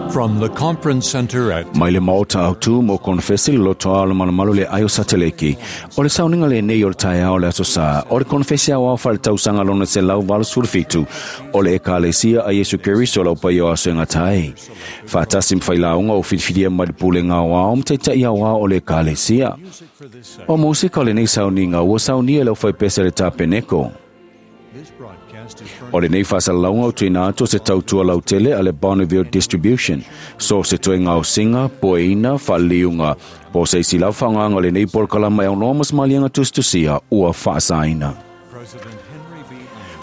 From the conference center at Mai le maota autu mo konofesi le lotoa o le malumalu le ai o Sateleki. O le sauniga lenei o le taeao o le Aso Sa, o le konofesi aoao faaletausaga lona 187 o le Ekalesia a Iesu Keriso lau paia o aso e gata ai. Faatasi ma failauga o filifilia mai le pulega aoao ma taitai aoao o le Ekalesia. O musika o lenei sauniga ua saunia e le aufaipese a le Tapeneko. O lenei faasalalauga o tuuina atu o se tautua lautele a le Bonneville Distribution, so o se toe gaosiga, poeina, faaliliuga, po o se isi lava faaaogaga o lenei polokalama e aunoa ma se maliega tusitusia ua faasaina.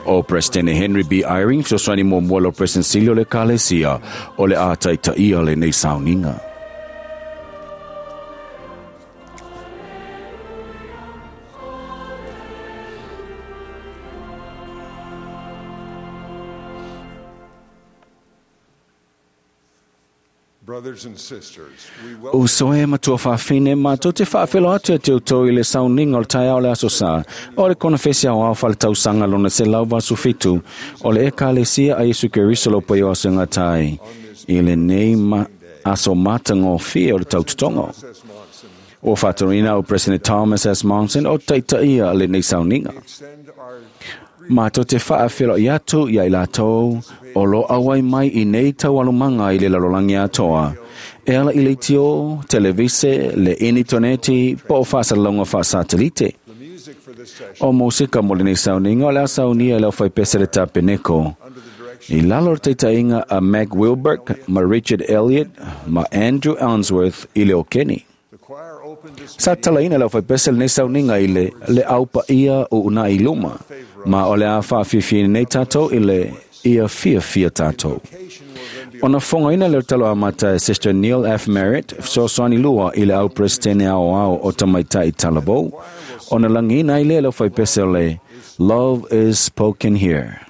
O Peresetene Henry B. Eyring, fesoasoani muamua i lau Peresetene Sili o le Ekalesia, o le a taitaia lenei sauniga. Uso e matua faafine, matou te faafeiloai atu ia te outou i le sauniga o le taeao o le Aso Sa, o le konofesi aoao faaletausaga lona 187 o le Ekalesia a Iesu Keriso lau paia o aso e gata ai i lenei aso matagofie o le tautotoga. Ua faatonuina au President Thomas S. Monson o taitaia lenei sauniga. Matou te faafeiloai atu ia i latou o lo o auai mai i nei taualumaga i le lalolagi atoa, e ala i leitio, televise, le initoneti po o faasalalauga faasatelite. O musika mo lenei sauniga o le a saunia e le aufaipese le Tapeneko, i lalo o le taitaiga a Mac Wilberg ma Richard Elliott ma Andrew Ainsworth i le okeni. Sa tatalaina e le aufaipese lenei sauniga i le Le Au Paia o Uunai i Luma, ma o le a faafiafiaina nei tatou i le Ia Fiafia Tatou. Ona fogaina lea o le talo amata e Sister Neil F. Merritt, fesoasoani lua i le Au Peresetene Aoao o Tamaitai Talavou, ona lagiina ai lea e le aufaipese o le Love is Spoken Here.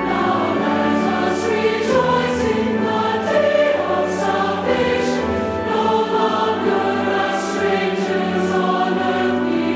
Now let us rejoice in the day of salvation, no longer as strangers on earth.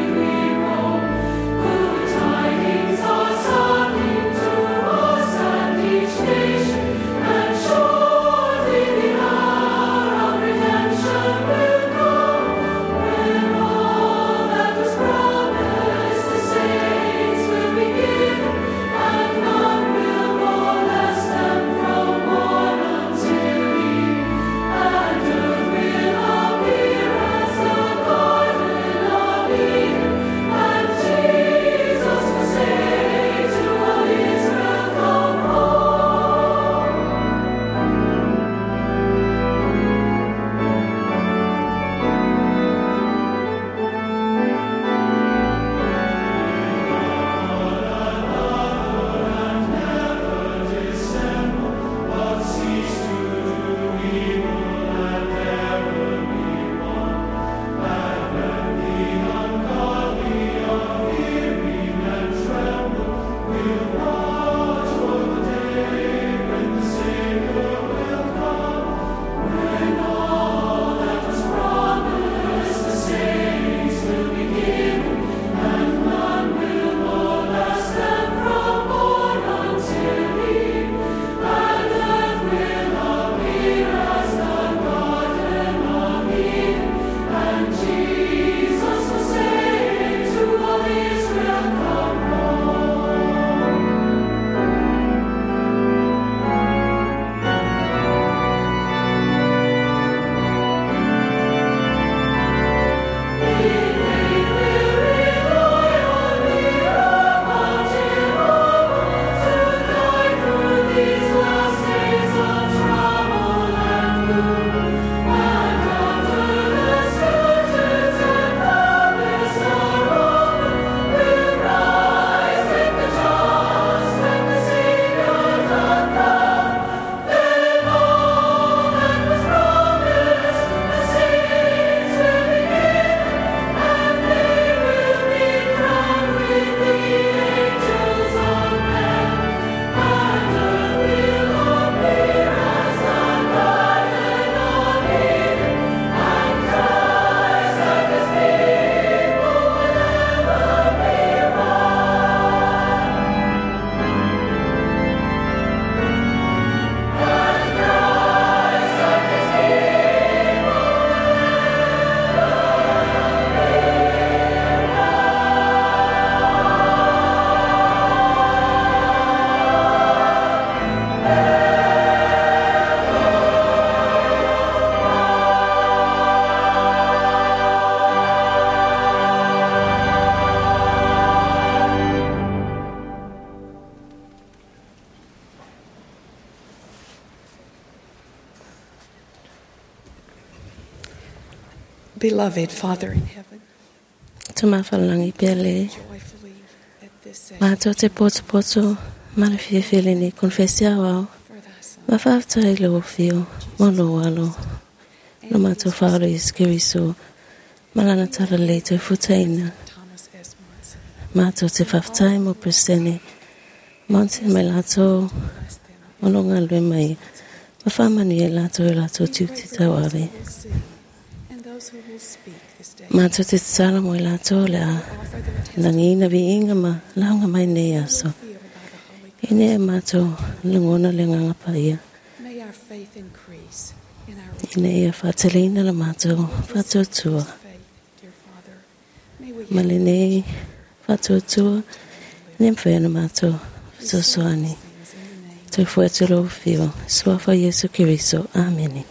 Beloved Father in heaven, Tumafalagi pea le joyfully at this session matou te potopoto ma le fiafia i lenei konefesi aoao for thy Son ma faafetai i lou afio ma lou alo lo matou faaola Iesu Keriso ma lana talalelei toe futaina. Thomas S. Monson. Matou te faafetai mo Peresetene Monson ma i latou Bless them. o lo o galulue mai ma faamanuia i latou i o latou tiute tauave. Will see and those who will speak this day. Matou te tatalo mo i latou o le a Offer their lagiina viiga ma lauga mai nei aso. feel by the Holy Ina ia matou lagona le agaga paia. May our faith increase in our Ina ia faateleina la matou faatuatua. faith, dear Father. May we Ma lenei faatuatua, ina ia mafai ona matou fesoasoani. things in the name Toe fue atu lou afio, suafa o Iesu Keriso. Amene.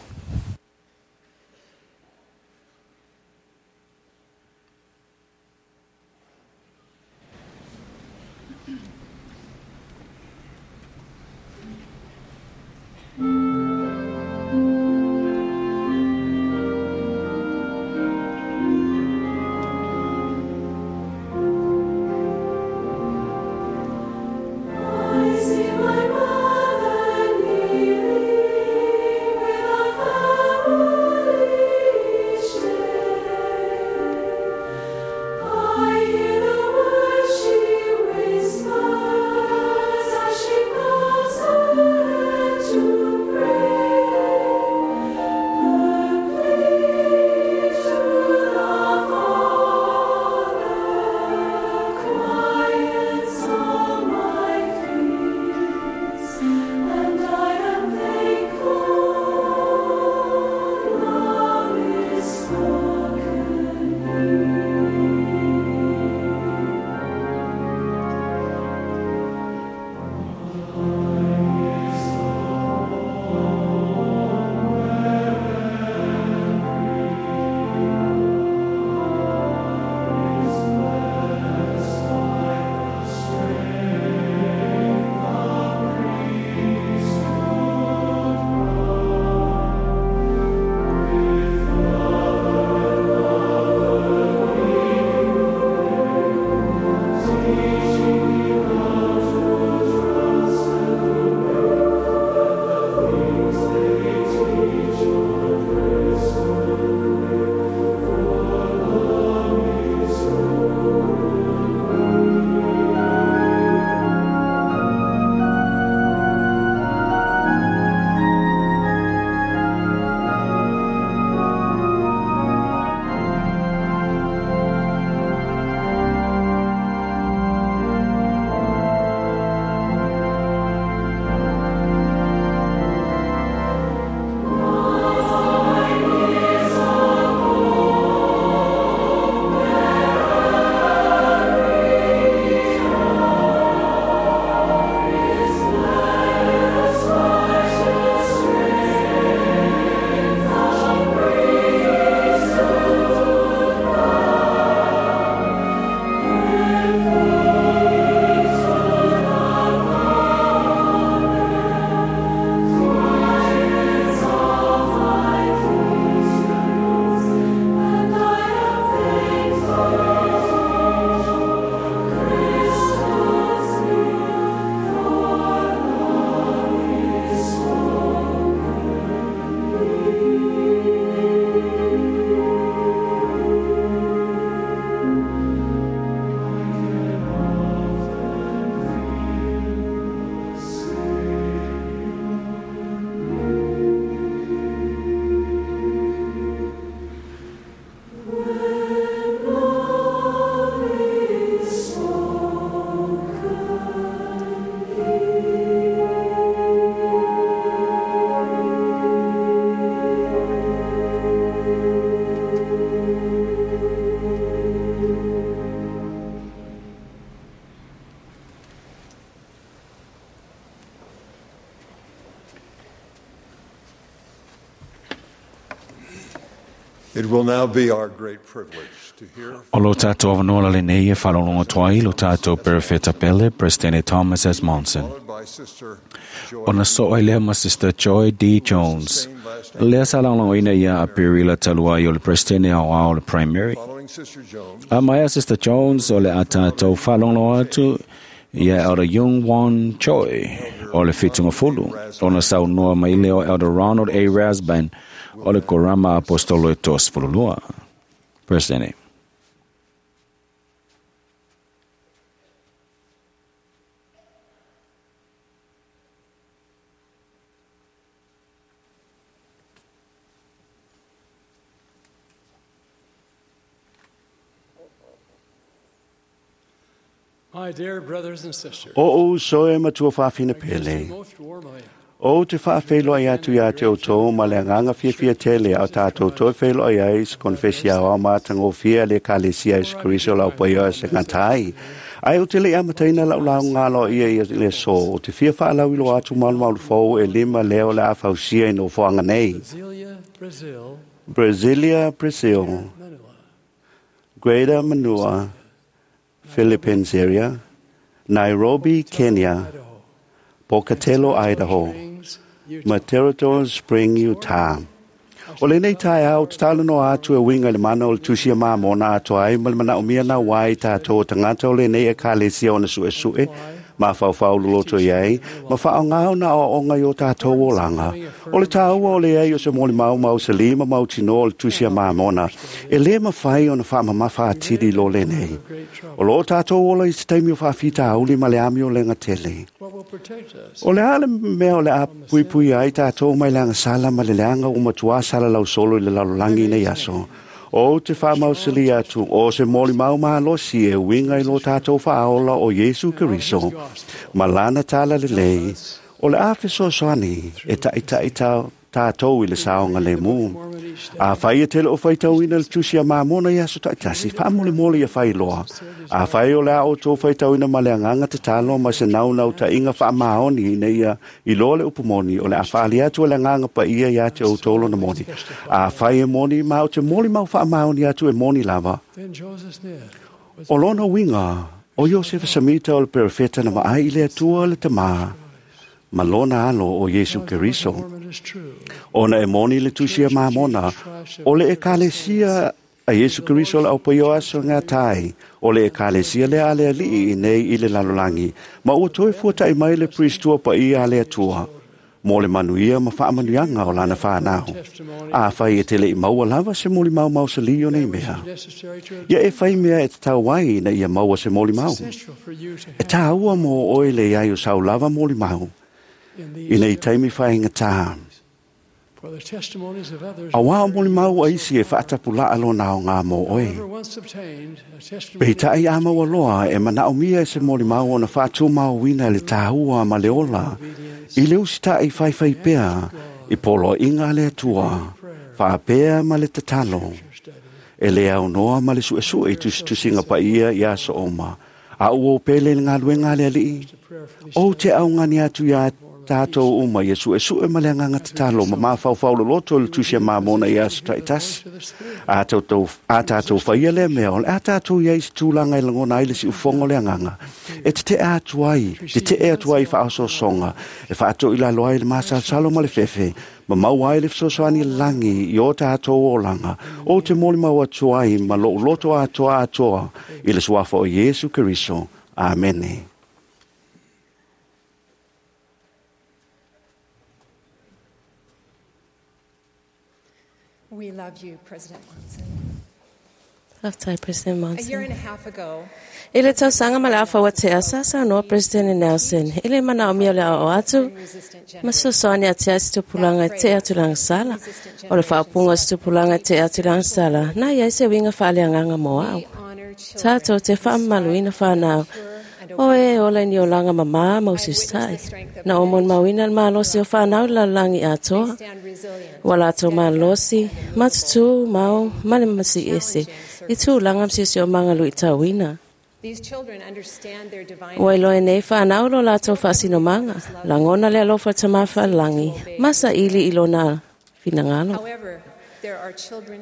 I see my mother kneeling with a family share. I hear the words she whispers. It will now be our great privilege to hear O lo tātou avanoa lenei e whalolongo toa lo tātou perefeta pele, President Thomas S. Monson. followed by Sister Joy Ona so ai lea ma Sister Joy D. Jones. Lea sa laolongoina ia a Pirila talua i o le President au au le primary. Following Sister Jones, A maia Sister Jones o le a tātou whalongo atu ia Elder Jung Won Choi o le whitunga fulu. Ona saunoa mai leo Elder Ronald A. Rasband o le Korama Apostolo e tos fululua. President. My dear brothers and sisters, O o soe matua whawhina pele. most warmly O te whaawhelo ai atu ia te o tō ma le anganga whiawhia tele au tātou toi whelo ai ai se konfesia o mātango whia le kalesia i se kuriso lau paio se ngatai. Ai o te le amataina lau lau ngalo ia ia le so o te whia whaalau ilo atu malu malu fōu e lima leo le awhausia i no whaanga nei. Brasilia, Brazil, Brasilia, Brazil, Manila, Greater Manua, Philippines area, Nairobi, Kenya, Idaho, Pocatello, Idaho. Springs, Utah, Material Spring, Utah. O lenei tae au, te talo no atu e winga le mana o le tusia mā mona atu ai, ma le mana o mia nā wai tātou o tangata o lenei e ka lesia ona sue sue, ma whau loloto i ai, ma whao ngāo na o onga i o tātou o langa. O le tāua o le ai o se moli mau mau se lima mau tino o le tusia mā mona, e le mawhai o na whaamamafa atiri lo lenei. O lo tātou ola i te taimi o whaafita auli ma le ami o lenga tele. What will protect us? O le ale mea o le a pui pui ai tātou mai le sala ma le leanga o matua sala lau solo i le lalolangi nei aso. O te whaamausili atu, o se moli mau mahalosi e winga i lo tātou whaaola o Yesu Keriso. Ma lana tala le lei, o le a fesoasoani e ta'itai tātou i le saonga le mū. A whai e tele o whaitauina le tusi a māmona i aso taitasi, whaamole mole ia whailoa. A whai o le a o tō whaitauina ma le anganga te talo ma se naunau ta inga wha maoni ina ia i loa le upumoni o le a whaali atu le anganga pa ia ia te o tōlo na moni. A whai e moni ma o te moli mau wha maoni atu e moni lava. Then Joseph Smith was O lona winga, o Joseph Samita o le perefeta na maai i le atua le tamā, ma lona alo o Yesu Keriso. Mormon is true. Ona e moni le tusia mamona, o le ekalesia a Yesu Keriso le aupaio aso ngā tai, o le ekalesia le ale alii i nei i le lalolangi, ma ua toe fuatai mai le priestua pa i ale atua, mo le manuia ma whaamanuianga o lana whanau. A whai e te le i maua lava se moli mau mau se lio nei mea. Necessary to Ia e whai mea e te tau ai na ia maua se moli mau. essential for you to E have tāua mō oe le ai o sau lava moli mau, in i these nei taimi whainga tā. for the testimonies of others. A wā moli mau a isi e whaatapu laa lo nā o ngā mō oe. However, once obtained, a testimony Pei tai a maua loa e mana o mia e se moli mau ona whaatu mau wina le tāhua ma le ola. I le usita i whai whai pea, i polo inga le atua, whaapea ma le tatalo. E le au noa ma le sue sue i tusitusinga pa ia i aso oma. A uo pele le ngā luenga le alii. O te au ngani atu ia tātou uma ia sue sue ma le nganga tatalo ma mawhau loloto le tusia mamona i aso taitasi. A tātou, a tātou whaia le mea, o le a tātou ia i se tūlanga i langona ai le si ufongo le anganga. E te te atu ai, te te e atu ai whaasosonga, e whaato i lalo ai le masalsalo ma le fefe, ma mau ai le fesoasoani langi i o tātou o langa, o te moli mau atu ai ma lo loto atoa atoa i le suafa o Yesu Keriso. Amene. We love you, President Monson. Laftai President A year Monson. and a half ago, I le tausaga ma le afa ua tea sa saunoa President Nelson. I le mana o mia o le ao atu, resistant ma sosoani a tea se tupulaga e te atu lagasala. O le whaapunga o se tupulaga e te atu lagasala. Na iai se winga whaaleagaga mo au. we honor children Tātou te whaamaluina whanau. O e ola ni o langa mamā mau sistai. Na o mon mauina le malosi o whanau la langi atoa. stand resilient, Wa lātou malosi, matutu, mau, male masi ese. I tū langa msisi o mangalu i tauina. These children understand their divine Ua iloa nei whanau lo lātou whaasinomanga. Langona le alofa tamafa langi. Masa ili i lona finangalo. However,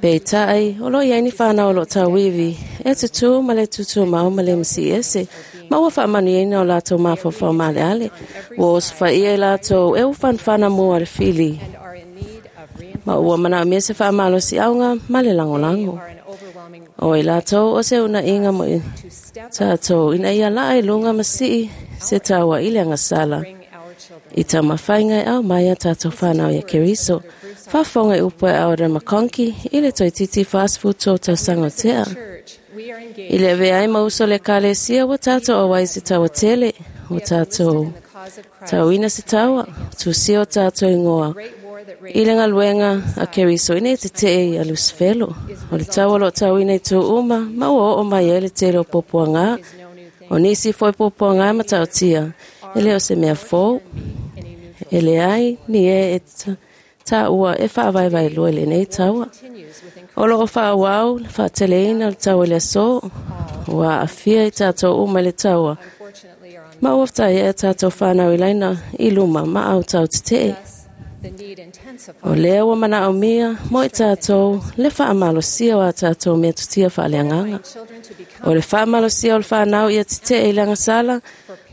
Peitai, o lo o i ai ni fanau o lo o tauivi, e tutū ma le tutumau ma le masiese, ma ua faamanuiaina o latou mafaufau maaleale. Ua osofaia i latou e ufanafana mua le fili, ma ua manaomia se faamalosiauga ma le lagolago. O i latou o se uunaaiga mo i tatou ina ia laa i luga ma sii se taua i le agasala i taumafaiga e aumai a tatou fanau ia Keriso. Faafofoga i upu a Elder McConkie i le toeitiiti 43 tausaga o tea. I le avea ai ma uso o le Ekalesia ua tatou auai i se taua tele, ua tatou tauina se taua, tusia o tatou igoa i le galuega a Keriso ina ia tetee ia Lusifelo. O le taua o lo o tauina i itu uma ma ua oo mai ai le tele o puapuaga. O nisi foi puapuaga e matautia, e le o se mea fou. E leai ni e e taua e faavaevaelua i lenei taua. O lo o faaauau le faateleina o le taua i le aso, ua aafia i tatou uma i le taua, ma ua fetaia e tatou fanau i laina i luma ma autau tetee. O lea ua manaomia mo i tatou le faamalosia o a tatou metotia faaleagaga. O le faamalosia o le fanau ia tetee i le agasala,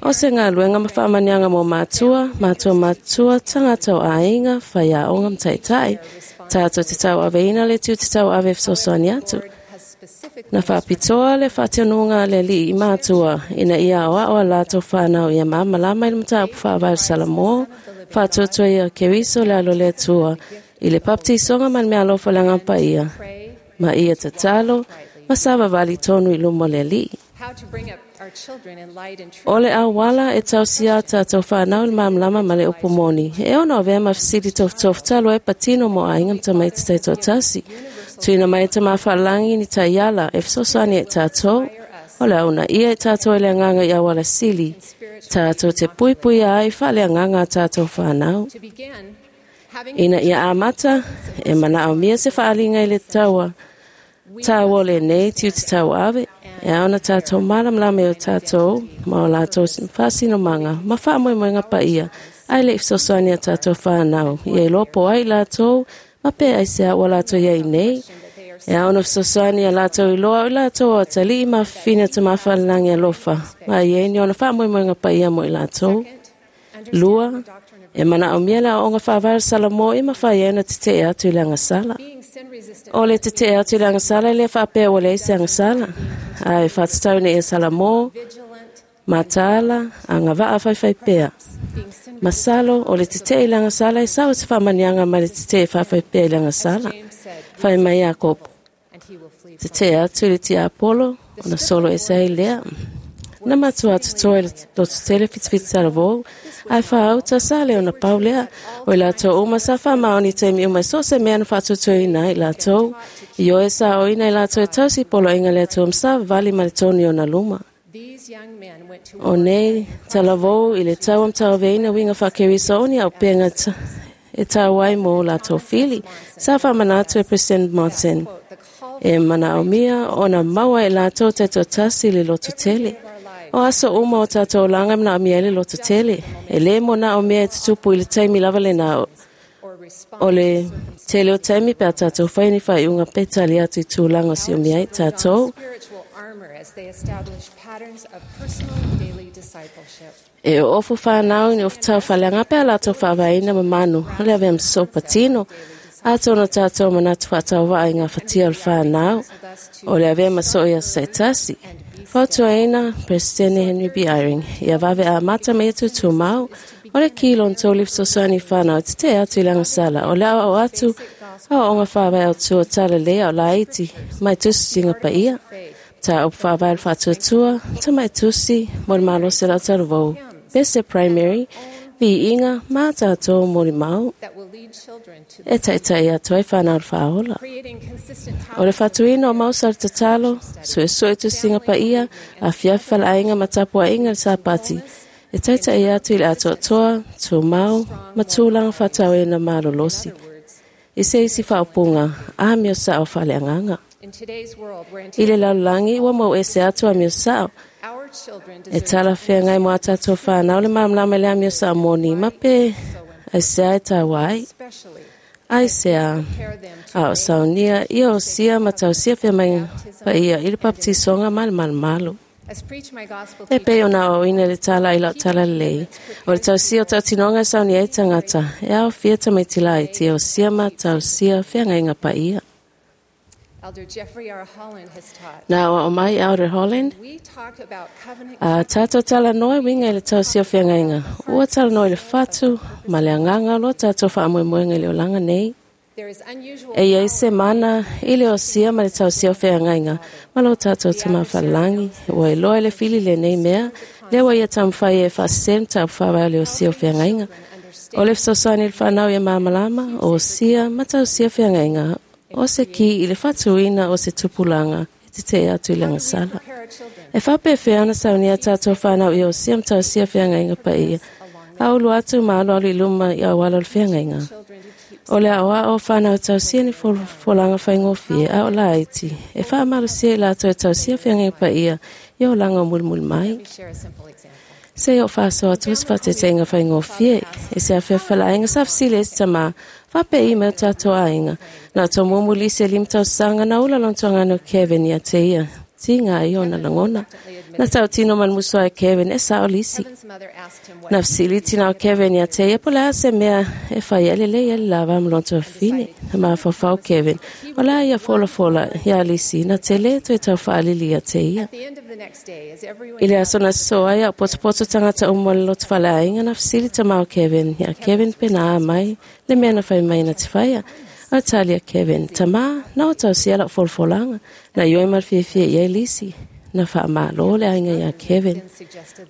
o se galuega ma faamanuiaga mo matua, matua matutua, tagata o aiga, faiaoga ma taitai. Tatou te tauaveina le tiute tauave e fesoasoani atu. Na faapitoa le faatonuga a le Alii i matua ina ia aoao a latou fanau ia malamalama i le mataupu faavae o le Salamo, faatuatua ia Keriso le alo o le Atua i le papatisoga ma le meaalofa o le Agaga Paia, ma ia tatalo ma savavali tonu i luma o le Alii. O le auala e tausia a tatou fanau i le malamalama ma le upu moni, e ono avea ma fesili tofutofu talu ai patino mo aiga ma tamaiti taitoatasi. Tuuina mai e Tama Faalagi ni taiala e fesoasoani ai i tatou, o le a uunaia i tatou e le agaga i auala sili, tatou te puipuia ai faaleagaga a tatou fanau. Ina ia amata, e manaomia se faaaliga i le taua taua o lenei tiute tauave, e ao ona tatou malamalama i o tatou ma o latou faasinomaga ma faamoemoega paia, ae le i fesoasoani a tatou fanau ia iloa po o ai i latou ma pe aisea ua latou i ai nei. E ao ona fesoasoani a latou iloa o i latou o atalii ma fafine o Tama Faalelagi alofa, ma e i ai ni ona faamoemoega paia mo i latou. Lua, e manaomia le aoaoga faavae o le Salamo e mafai ai ona tetee atu i le agasala. O le tetee atu i le agasala e le faapea ua leai se agasala, ae faatatau ina ia Salamo, mataala, agavaa faifaipea. Masalo, o le tetee i le agasala e sao se faamanuiaga mai le tetee faafaipea i le agasala. Fai mai Iakopo, tetee atu i le tiapolo, ona solo ese ai lea. Na matua totoa i le lototele fitifiti talavou, ae faauta sa le ona pau lea. O i latou uma sa faamaoni i taimi uma i so o se mea na faatuatuaina ai i latou. Ioe sa aoina i latou e tausi i poloaiga a le Atua ma savavali ma le tonu i ona luma. O nei talavou i le taua ma tauaveina uiga faa-Keriso o ni auupega e tau ai mo latou fili, sa faamanatu e President Monson. E manaomia ona maua e latou taitoatasi le lototele. O aso uma o tatou olaga e manaomia ai le lototele. E lē manaomia e tutupu i le taimi lava lena o le tele o taimi pe a tatou fai ni faaiuga pe tali atu i tulaga o siomia ai tatou. E oofu fanau i ni ofutau faaleaga pe a latou faavaeina ma manu o le avea ma sosoo patino. Atonu o tatou manatu faatauvaa i gafatia o le fanau, o le avea ma soo i aso taitasi. Fautuaina Peresetene Henry B. Eyring, ia vave amata ma ia tutumau, o le ki lona tolu i fesoasoani i fanau e tetee atu i le agasala, o le aoao atu aoaoga faavae autu o talalelei a o laiti mai tusitusiga paia. Mataupu faavae o le faatuatua, tamai tusi mo le malosi o lau talavou, Pese Primary, Viiga ma tatou molimau e taitai atu ai fanau le faaola. O le faatuina o mausa o le tatalo, suesue tusiga paia, afiafi faleaiga ma tapuaiga le Sapati, e taitai atu i le atoatoa, tumau, ma tulaga faatauina malolosi. I se isi faaupuga, amio sao faaleagaga. I le lalolagi ua mau ese atu amio sao. E talafeagai mo a tatou fanau le malamalama i le amio sao moni ma pe aisea e taua ai. Aisea, a o saunia ia osia ma tausia feagaiga paia i le papatisoga ma le malumalu. E pei ona aoaoina i le tala i lau talalelei, o le tausia o tautinoga e saunia ai tagata, e aofia tamaiti laiti e osia ma tausia feagaiga paia. Na aoao mai Elder Holland, a tatou talanoa e uiga i le tausia o feagaiga, ua talanoa i le fatu ma le agaga o lo tatou faamoemoega i le olaga nei. E i ai se mana i le osia ma le tausia o feagaiga ma lo tatou Tama Faalelagi, ua iloa e le fili lenei mea, lea ua ia taumafai e faasese le mataupu faavae o le osia o feagaiga. O le fesoasoani i le fanau ia malamalama, o osia ma tausia feagaiga, o se ki i le faatuina o se tupulaga e tetee atu i le agasala. E faapefea ona saunia tatou fanau i osia ma tausia feagaiga paia, a ulu atu ma alualu i luma i auala o le feagaiga. O le aoao o fanau e tausia ni folafolaga faigofie a o laiti, e faamalosia i latou e tausia feagaiga paia i olaga o mulimuli mai. Se i ou faasoa atu se faateteiga faigofie, e se afeafalaiga sa fesili ai se tamā, faapei mai o tatou aiga. Na o taumumu lisi e 5 tausaga na ula lona tuagana o Kevin ia te ia, tiga ai ona lagona. Na tautino ma le musu ai Kevin e sao lisi. Na fesili tina o Kevin ia te ia po o le a se mea e fai ai lelei ai le lava ma lona tuafafine. Na mafaufau Kevin, o le a ia folafola iā lisi na tele toe tau faalili ia te ia. I le aso na sosoo ai a o potopoto tagata uma o le loto faleaiga na fesili tamā o Kevin iā Kevin pe na a mai le mea na fai mai na te faia. A tali a Kevin, tamā, na o tausia lau folafolaga, na ioe ma le fiafia i ai lisi. Na faamalo le aiga iā Kevin.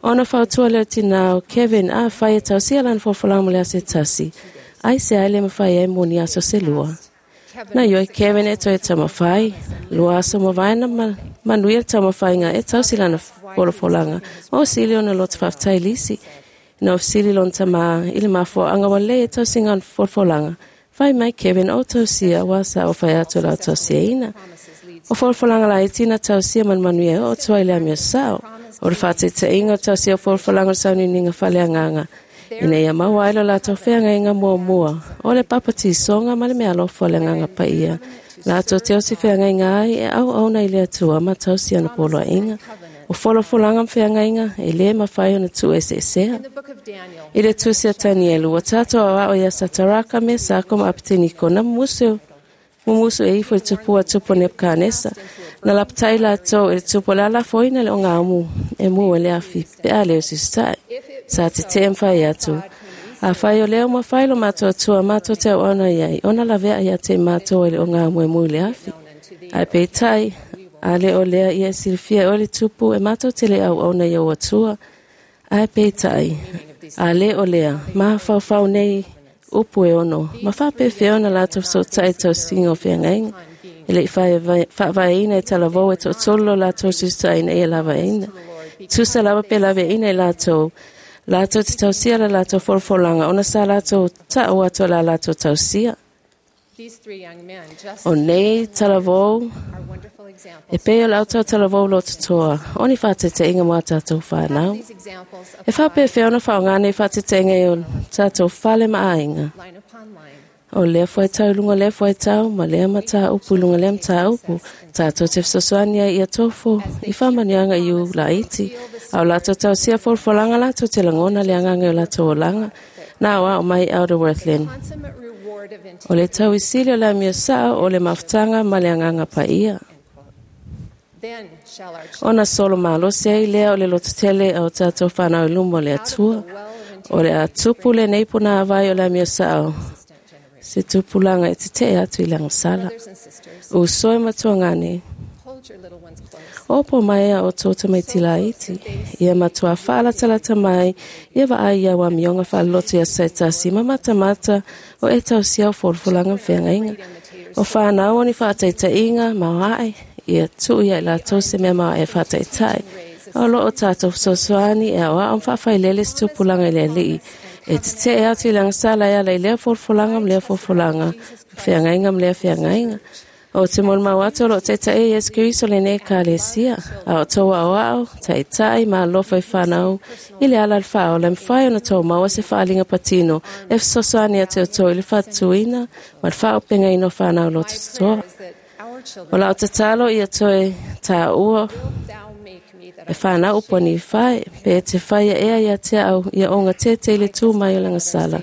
Ona fautua lea o le tinā o Kevin, afai e tausia lana folafolaga mo le aso e tasi, aisea e le mafai ai mo ni aso se lua. Na ioe Kevin e toe taumafai, 2 aso mavae na manuia le taumafaiga e tausi lana folafolaga ma ua sili ona loto faafetai lisi. Na fesili lona tamā i le mafuaaga ua lelei e tausiga o le folafolaga. Fai mai Kevin o tausia ua sa o fai atu la tausiaina. O folafolaga laiti na tausia ma le manuia e oo atu ai i le amio sao. O le faataitaiga o tausia o folafolaga o le sauniuniga faaleagaga, ina ia maua ai lo latou feagaiga muamua, o le papatisoga ma le meaalofa o le agaga paia. Latou te osi feagaiga ai e auauna i le Atua ma tausia ona poloaiga. O folafolaga ma feagaiga e lē mafai ona tuueseesea. I le tusi a Tanielu, ua tatou aoao iā Sataraka, Mesako ma Apeteniko na mumusu e ifo i le tupua a tupu o Nepukanesa. Na lapatai latou i le tupu o le a lafoina le ogaumu e mu e le afi pe a le usitae. Sa tetee ma fai atu, afai o lea ua mafai lo matou Atua matou te auauna i ai, ona lavea ia te i matou ai le ogaumu e mu i le afi. Ae peitai, a le o lea ia e silafia e oe le tupu e matou te le auauna i ou Atua. Ae peitai, a le o lea, mafaufau nei upu e ono, ma faapefea ona latou fesootai i tausiga o feagaiga. E le i faavaeina e talavou e toatolu lo latou susitaina ia lavaeina. Tusa lava pe laveaina i latou, latou te tausia la latou folafolaga ona sa latou ta'u atu o la latou tausia. O nei talavou, e pei o le autau talavou lototoa, o ni faateteiga mo a tatou fanau. E faapefea ona faaaoga nei faateteiga i o tatou fale ma aiga. O lea fuaitau i luga o lea fuaitau, ma lea mataupu i luga o lea mataupu, tatou te fesoasoani ai ia tofo i faamanuiaga i u laiti, a o latou tausia folafolaga latou te lagona le agaga i o latou olaga. Na aoao mai Elder Wirthlin. O le tauisili o le amio sao o le mafutaga ma le agaga paia. Ona solo malosi ai lea o le lototele a o tatou fanau i luma o le Atua. O le a tupu lenei punāvai o le amio sao, se tupulaga e tetee atu i le agasala. Uso e matuagane, opo mai a o tō tamaiti laiti, ia matua faalatalata mai, ia vaai ia au amioga faaleloto ia saitasi ma matamata o e tausia o folafolaga ma feagaiga. O whanau o ni whaataitaiga maoae, ia tuu ia i latou se mea maoae e whaataitai. O lo o tātou fesoasoani e aoao ma faafailele se tupulaga i le Alii. E tetee atu i le agasala e ala i lea folafolaga ma lea folafolaga, ma feagaiga ma lea feagaiga. O te molimau atu o loo taitaia Iesu Keriso lenei Ekalesia, a o tou aoao, taitai ma alofa i fanau i le ala o le faaola, e mafai ona tou maua se faaaliga patino e fesoasoani atu i outou i le faatutuina ma le faaaupegaina o fanau loto totoa. O lau tatalo ia toe tāua e fanau upu a Nifae, pe e te faia ea ia te au ia ogatete i le tū mai o le agasala.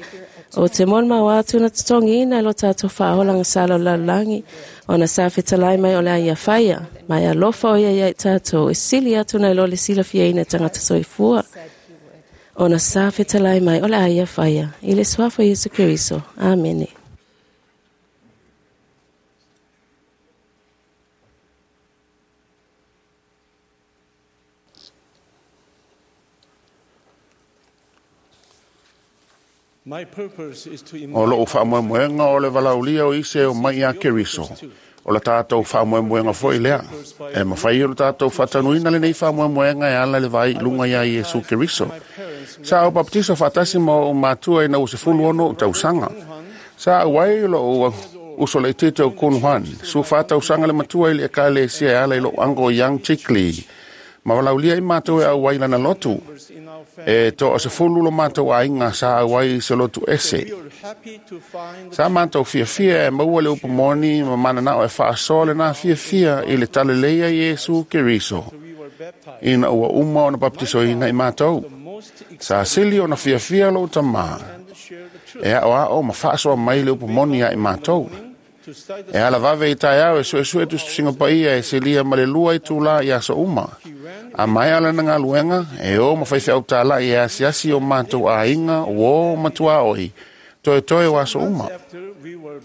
O te molimau atu na totogiina e lo tātou faaola agasala o le lalolagi, ona sa fetalai mai o le a ia faia, ma e alofa o ia ia i tātou, e sili atu nai lo le silafiaina e tagata soifua. Ona sa fetalai mai o le a ia faia, i le suafa o Iesu Keriso. Amene. My purpose is to O lou faamoemoega o le valaaulia o isi e omai ia Keriso. O le tatou faamoemoega foi lea. E mafai ona tatou faataunuuina lenei faamoemoega e ala i le vaai i luga ia Iesu Keriso. Sa ou bapetiso faatasi ma ou matua ina ua 16 ou tausaga. Sa auai lou uso laitiiti o Kun Hwan, 14 tausaga le matua i le ekalesia e ala i lou uncle Young Chikli. Ma valaaulia i matou e auai i lana lotu. E toa-10 lo matou aiga sa auai i se lotu ese. Sa matou fiafia e maua le upu moni ma mananao e faasoa lenā fiafia i le talalelei a Iesu Keriso ina ua uma ona bapetisoina i matou. Sa sili ona fiafia lou tamā e aoao ma faasoa mai le upu moni ia i matou. E ala vave i taeao e suesue tusitusiga paia e silia ma le 2 itulā i aso uma. A maea lana galuega, e o ma faifeau tāla'i e asiasi o matou aiga, uō ma tuaoi, toetoe o aso uma.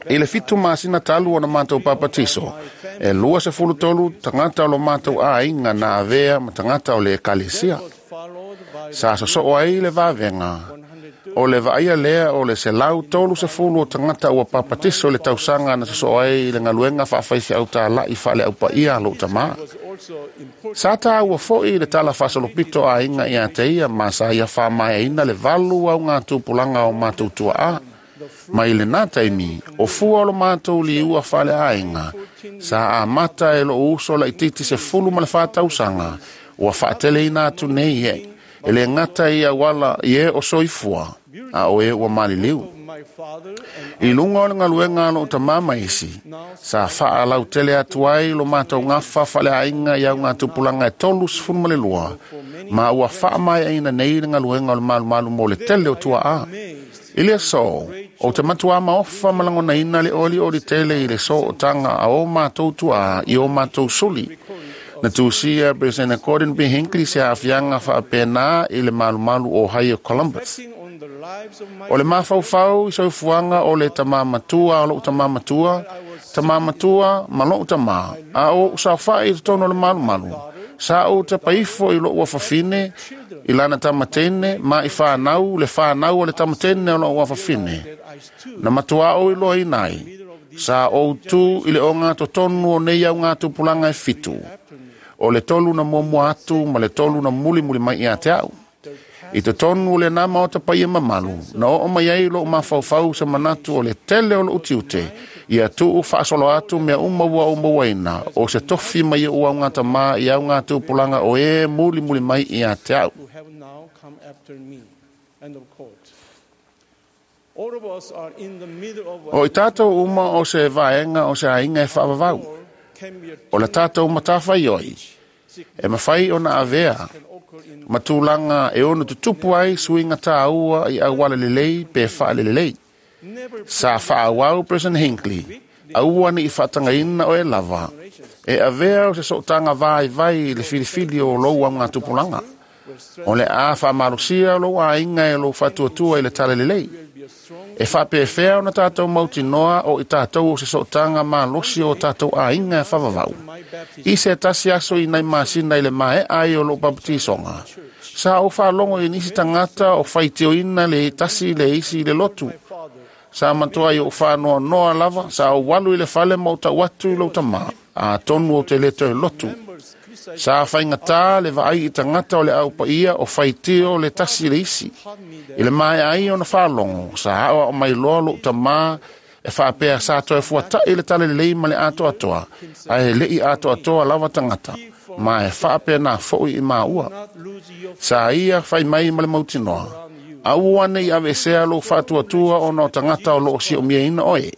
I le 7 masina talu ona matou papatiso, e 23 tagata o lo matou aiga na avea ma tagata o le ekalesia. Sa sosoo ai le vavega. O le vaaia lea o le 130 o tagata ua papatiso i le tausaga na sosoo ai i le galuega faafaifeau tāla'i faaleaupaia a lou tamā. Sa tāua foi le tala faasolopito aiga ia te ia ma sa ia faamaeaina le 8 augatupulaga o matou tuaa. Mai lenā taimi, o fua o lo matou liua faaleaiga, sa amata e lou uso laitiiti 14 tausaga, ua faateleina atu nei e, e le gata i auala i e o soifua, a o e ua maliliu. I luga o le galuega a lou tamā ma isi, sa faalautele atu ai lo matou gafa faaleaiga i augatupulaga e 32, ma ua faamaeaina nei le galuega o le malumalu mo le tele o tuaa. I le aso, o te matuā maofa ma lagonaina le olioli tele i le sootaga a o matou tuaa i o matou suli. Na tusia President Gordon B. Hinckley se aafiaga faapenā i le malumalu o Ohio Columbus. O le mafaufau i soifuaga o le tamā matua o lou tamā matua, tamā matua ma lou tamā, a o ou saofa'i i totonu o le malumalu. Sa ou tapaifo i lou afafine, i lana tamatene, ma i whanau, le whanau o le tamatene o lou afafine. Na matuā ou iloaina ai, sa ou tū i le ogatotonu o nei augatupulaga e 7. O le 3 na muamua atu ma le 3 na mulimuli mai ia te au. I totonu o lenā maota paia mamalu, na oo mai ai lou mafaufau se manatu o le tele o lou tiute, ia tuu faasolo atu mea uma ua ou mauaina, o se tofi mai oʻu augatamā i augatupulaga o e mulimuli mai ia te au. Who have now come after me. End of quote. All of us are in the middle of O i tātou uma o se vaega o se aiga e faavavau. O le tātou matawhaioi, e mawhai ona avea, ma tūlanga e ono tutupu ai suiga tāua i auala lelei pe faalelelei. Sa faauau President Hinckley, aua ni i whaatangaina o e lava, e avea o se sootanga vai vai i le filifili o lou augatupulaga. O le a faamalosia o lou aiga e lou faatuatua i le talalelei. E faapefea ona tātou mautinoa o i tātou o se sootanga malosi o tātou aiga e faavavau. I se tasi aso i nai masina i le maea ai o lou bapetisoga. Sa ou faalogo i nisi tagata o faitioina le tasi le isi i le lotu. Sa matua i ou whanoa noa lava, sa ou walu i le fale ma o tau atu i lou tamā, a tonu o te le toe lotu. Sa whaingatā le vaai i tangata o le au paia o whaitio le tasi le isi. I le maea ai ona whaalongo, sa ao ao mai loa lou tamā E faapea sa toe fuataʻi le talalelei ma le atoatoa, ae leʻi atoatoa lava tagata, ma e faapenā foʻi i maua. Sa ia fai mai ma le mautinoa, aua nei aveesea lou faatuatua ona o tagata o loo siʻomiaina oe,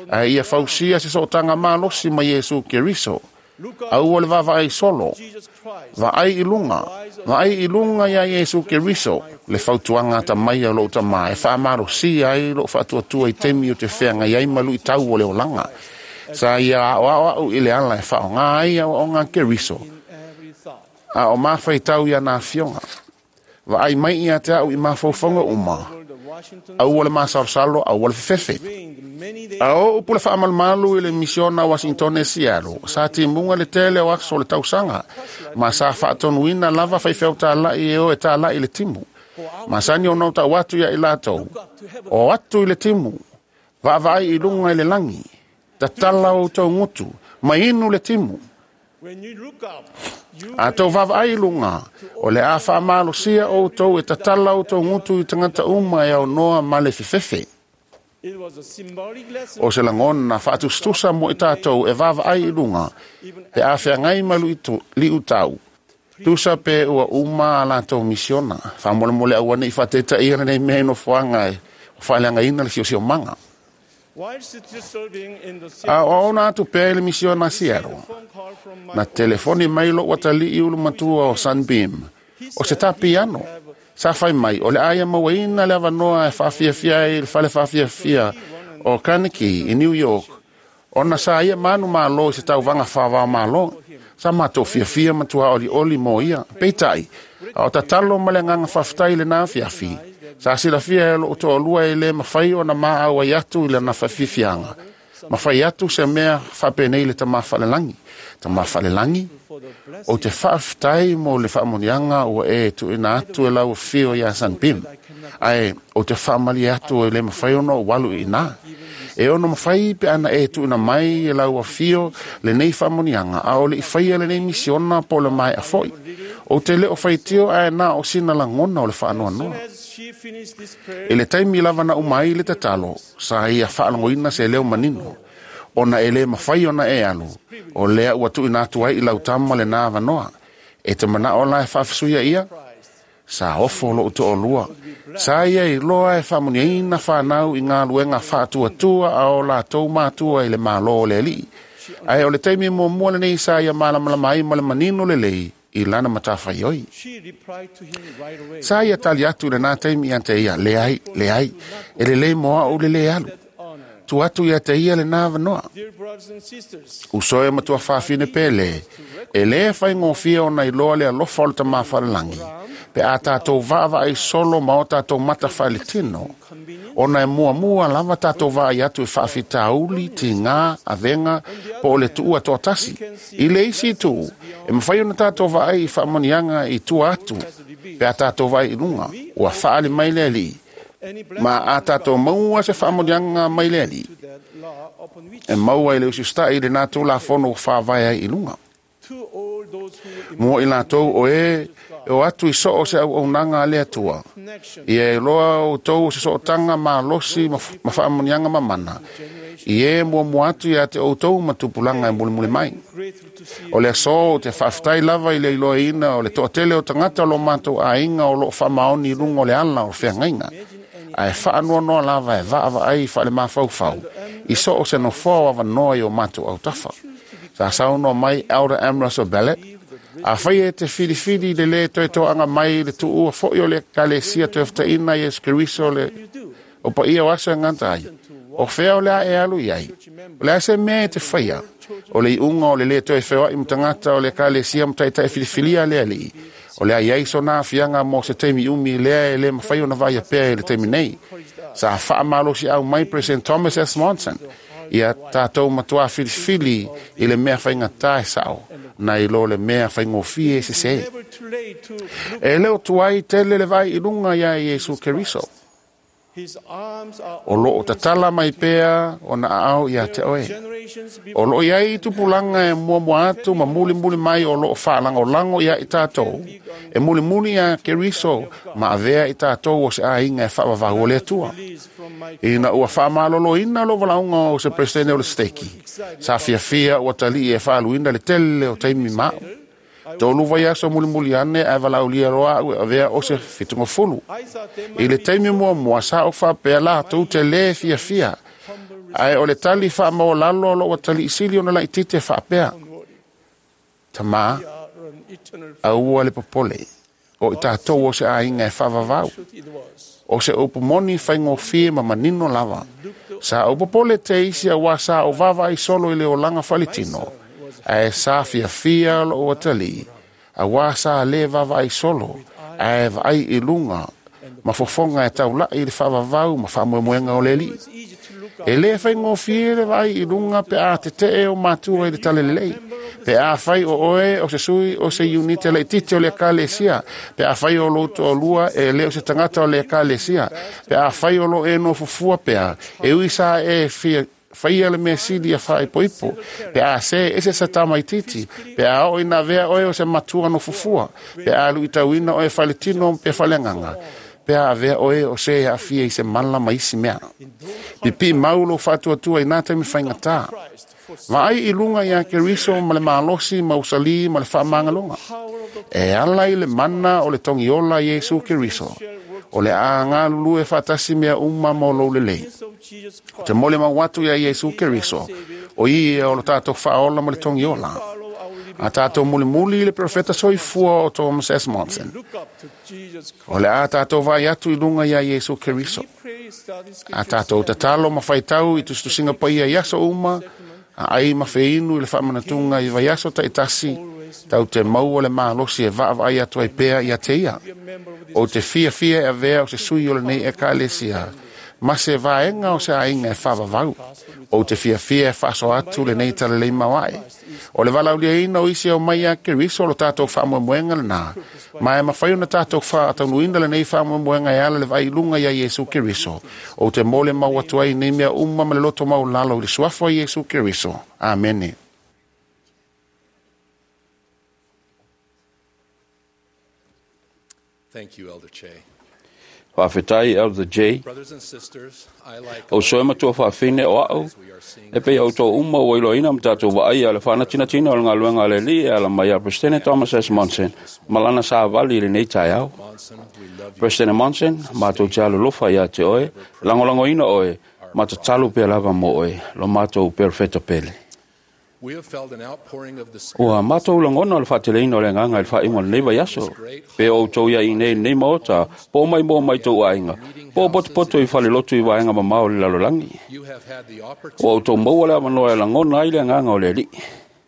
ae ia fausia se sootaga malosi ma Iesu Keriso. Aua le vaavaai solo, vaai i luga, vaai i luga iā Iesu Keriso, le fautuaga atamai a lou tamā e faamalosia ai lou faatuatua i taimi o te feagai ai ma luʻitau o le olaga. Sa ia aoao aʻu i le ala e faaaogā ai aoaoga a Keriso, a o mafaitau ia na afioga. Vaai mai ia te au i mafaufauga uma, aua le masalosalo, aua le fefefe. A o upu le faamalumalu i le misiona Washington e Seattle, sa timuga le tele o aso o le tausaga, ma sa faatonuina lava faifeau tālaʻi e o e tālaʻi le timu. Masani ona o tau atu ia i latou, o atu i le timu, vaavaai i luga i le lagi, tatala outou gutu, ma inu le timu. A tou vaavaai i luga, o le a faamalosia outou e tatala outou gutu i tagata uma e aunoa ma le fefefe. O se lagona faatusatusa mo i tatou e vaavaai i luga, pe a feagai ma liutau, tusa pe ua uma a latou misiona. Faamolemole aua nei faataetaia lenei mea i nofoaga e faaleagaina le siosiomaga. A o aona atu pea i le misiona a Seattle, na telefoni mai lou atalii ulumatua o Sunbeam, o se tapiano. Sa fai mai, o le a ia mauaina le avanoa e faafiafia ai i le fale faafiafia o Carnegie i New York, ona sa ia manu malo i se tauvaga faavaomalo. Sa matou fiafia ma tuaolioli mo ia. Peitai, a o tatalo ma le agaga faafetai i lenā afiafi, sa silafia e lou toalua e lē mafai ona maau ai atu i lana faafiafiaga, ma fai atu se mea faapenei le Tamā Faalelagi. Tamā Faalelagi, ou te faafetai mo le faamoniaga ua e tuuina atu e lau afio iā Sunbeam, ae ou te faamalie atu e lē mafai ona ou alu i inā. E ono mafai pe ana e tuuina mai e lau afio lenei faamoniaga, a o leʻi faia lenei misiona po o le maeʻa foʻi. Ou te le o faitio ae na o sina lagona o le faanoanoa. I le taimi lava na uma ai le tatalo, sa ia faalogoina se leo manino, ona e lē mafai ona e alu, o lea ua tuuina atu ai i lau tama lenā avanoa. E te manaʻo la e faafesuia ia? Sa ofo lou toalua. Sa ia iloa e faamuniaina fanau i galuega faatuatua a o latou matua i le Mālō o le Alii. Ae o le taimi muamua lenei sa ia malamalama ai ma le manino lelei i lana matafaioi. Sa ia tali atu i lenā taimi ia te ia, leai, leai, e lelei mo aʻu le lē alu. Tuu atu ia te ia lenā avanoa. Uso e matua fafine pele, e lē faigofie ona iloa le alofa o le Tamā Faalelagi, pe a tatou vaavaai solo ma o tatou mata faaletino, ona e muamua lava tatou vaai atu i faafitauli, tigā, avega, po o le tuua toatasi. I le isi itu, e mafai ona tatou vaai i faamanuiaga i tua atu, pe a tatou vaai i luga, ua faaali mai le Alii, ma a tatou maua se faamanuiaga mai le Alii, e maua i le usiusitaʻi i lenā Tulafono ua faavae ai i luga. Mo i latou o e e o atu i soo se auaunaga a le Atua, ia iloa outou o se sootaga malosi ma faamanuiaga mamana, i e muamua atu ia te outou ma tupulaga e mulimuli mai. O le aso ou te faafetai lava i le iloaina o le toatele o tagata o lo matou aiga o loo faamaoni i luga o le ala o feagaiga, ae faanoanoa lava e vaavaai faalemafaufau i soo se nofoa o avanoa i o matou autafa. Sa saunoa mai Elder Ambrose Ballot, afai e te filifili le lē toe toaga mai le tuua foʻi o le Ekalesia toe fetaʻina Iesu Keriso le o paia o aso e gata ai, o fea o le a e alu i ai? O le a se mea e te faia? O le iuga o le lē toe feoaʻi ma tagata o le Ekalesia ma taitai filifilia a le Alii, o le a i ai sona aafiaga mo se taimi umi lea e lē mafai ona vaaia pea i le taimi nei. Sa faamalosiau mai President Thomas S. Monson, ia tatou matuā filifili i le mea faigata e saʻo, na i lo le mea faigofie e sesē. E le o tuai tele le vaai i luga iā Iesu Keriso. O loo tatala mai pea o na aao ia te oe. O loo iai tupulaga e muamua atu ma mulimuli mai o loo faalagolago ia i tatou. E mulimuli ia Keriso ma avea i tatou o se aiga e faavavau o le Atua. Ina ua faamaloloina lou valaauga o se peresetene o le seteki, sa fiafia ua talii e faaluina le tele o taimi ma au. 3 vaiaso mulimuli ane ae valaaulia loa au e avea o se 70. I le taimi muamua sa ou faapea latou te lē fiafia, ae o le tali faamaualalo lou atalii sili ona laititi e faapea, Tamā, aua le popole, o i tatou o se aiga e faavavau. O se upu moni faigofie ma manino lava. Sa ou popole te isi auā sa ou vaavaai solo i le olaga faaletino, ae sa fiafia lou atalii, auā sa lē vaavaai solo, ae vaai i luga ma fofoga e taulai i le faavavau ma faamoemoega o le Alii. E lē faigofie le vaai i luga pe a tetee o matua i le talalelei, pe afai o oe o se sui o se iunite laititi o le ekalesia, pe afai o lou toalua e lē o se tagata o le ekalesia, pe afai o loo e nofofua pea, e ui sa e fia faia le mea sili ia faaipoipo, pe a se ese sa tamaititi, pe a oo ina avea oe o se matua nofofua, pe a luitauina oe faaletino pe faaleagaga, pe a avea oe o se e aafia i se mala ma isi mea. Pipii mau lou faatuatua i nā taimi faigata. Vaai i luga iā Keriso ma le malosi ma usalī ma le faamagaloga. E ala i le mana o le togiola Iesu Keriso, o le a galulue faatasi mea uma mo lou lelei. O te molimau atu iā Iesu Keriso, o ia o lo tatou faaola ma le togiola. A tatou mulimuli i le perofeta soifua o Thomas S. Monson. O le a tatou vaai atu i luga iā Iesu Keriso. A tatou tatalo ma faitau i tusitusiga paia i aso uma, a ai ma feinu i le faamanatuga i vaiaso taitasi, tau te maua le malosi e vaavaai atu ai pea ia te ia. O te fiafia e avea o se sui o lenei ekalesia, ma se vaega o se aiga e faavavau. O te fiafia e faasoa atu lenei talalei mauae. O le valaauliaina o isi e omai ia Keriso o lo tatou faamoemoega lenā, ma e mafai ona tatou faataunuina lenei faamoemoega e ala le vaai i luga ia Iesu Keriso. O te molimau atu ai nei mea uma ma le loto maualalo i le suafa o Iesu Keriso. Amene. Thank you, Elder Che. Faafetai Elder J. Brothers and sisters, I like O soe matua faafine o au, e pei au tō uma ua iloina ma tātou vaai a le whanatinatina o le ngaluenga a le Alii e ala mai a Presidente Thomas S. Monson, ma lana savali i lenei taeao. Monson, we love you. President Monson, mātou te alolofa ia te oe, langolangoina oe, ma tatalo pea lava mo oe, lo mātou perofeta pele. We have felt an outpouring of the Spirit. Ua mātou langona o le whaateleina o le nganga i le whainga o lenei vaiaso. Pe o outou ia i nei nei maota, po mai mo mai tau aiga, po potopoto i falelotu i vaega mamao o le lalolagi. You have had the Ua opportunity. outou maua le avanoa e langona ai le agaga o le Alii.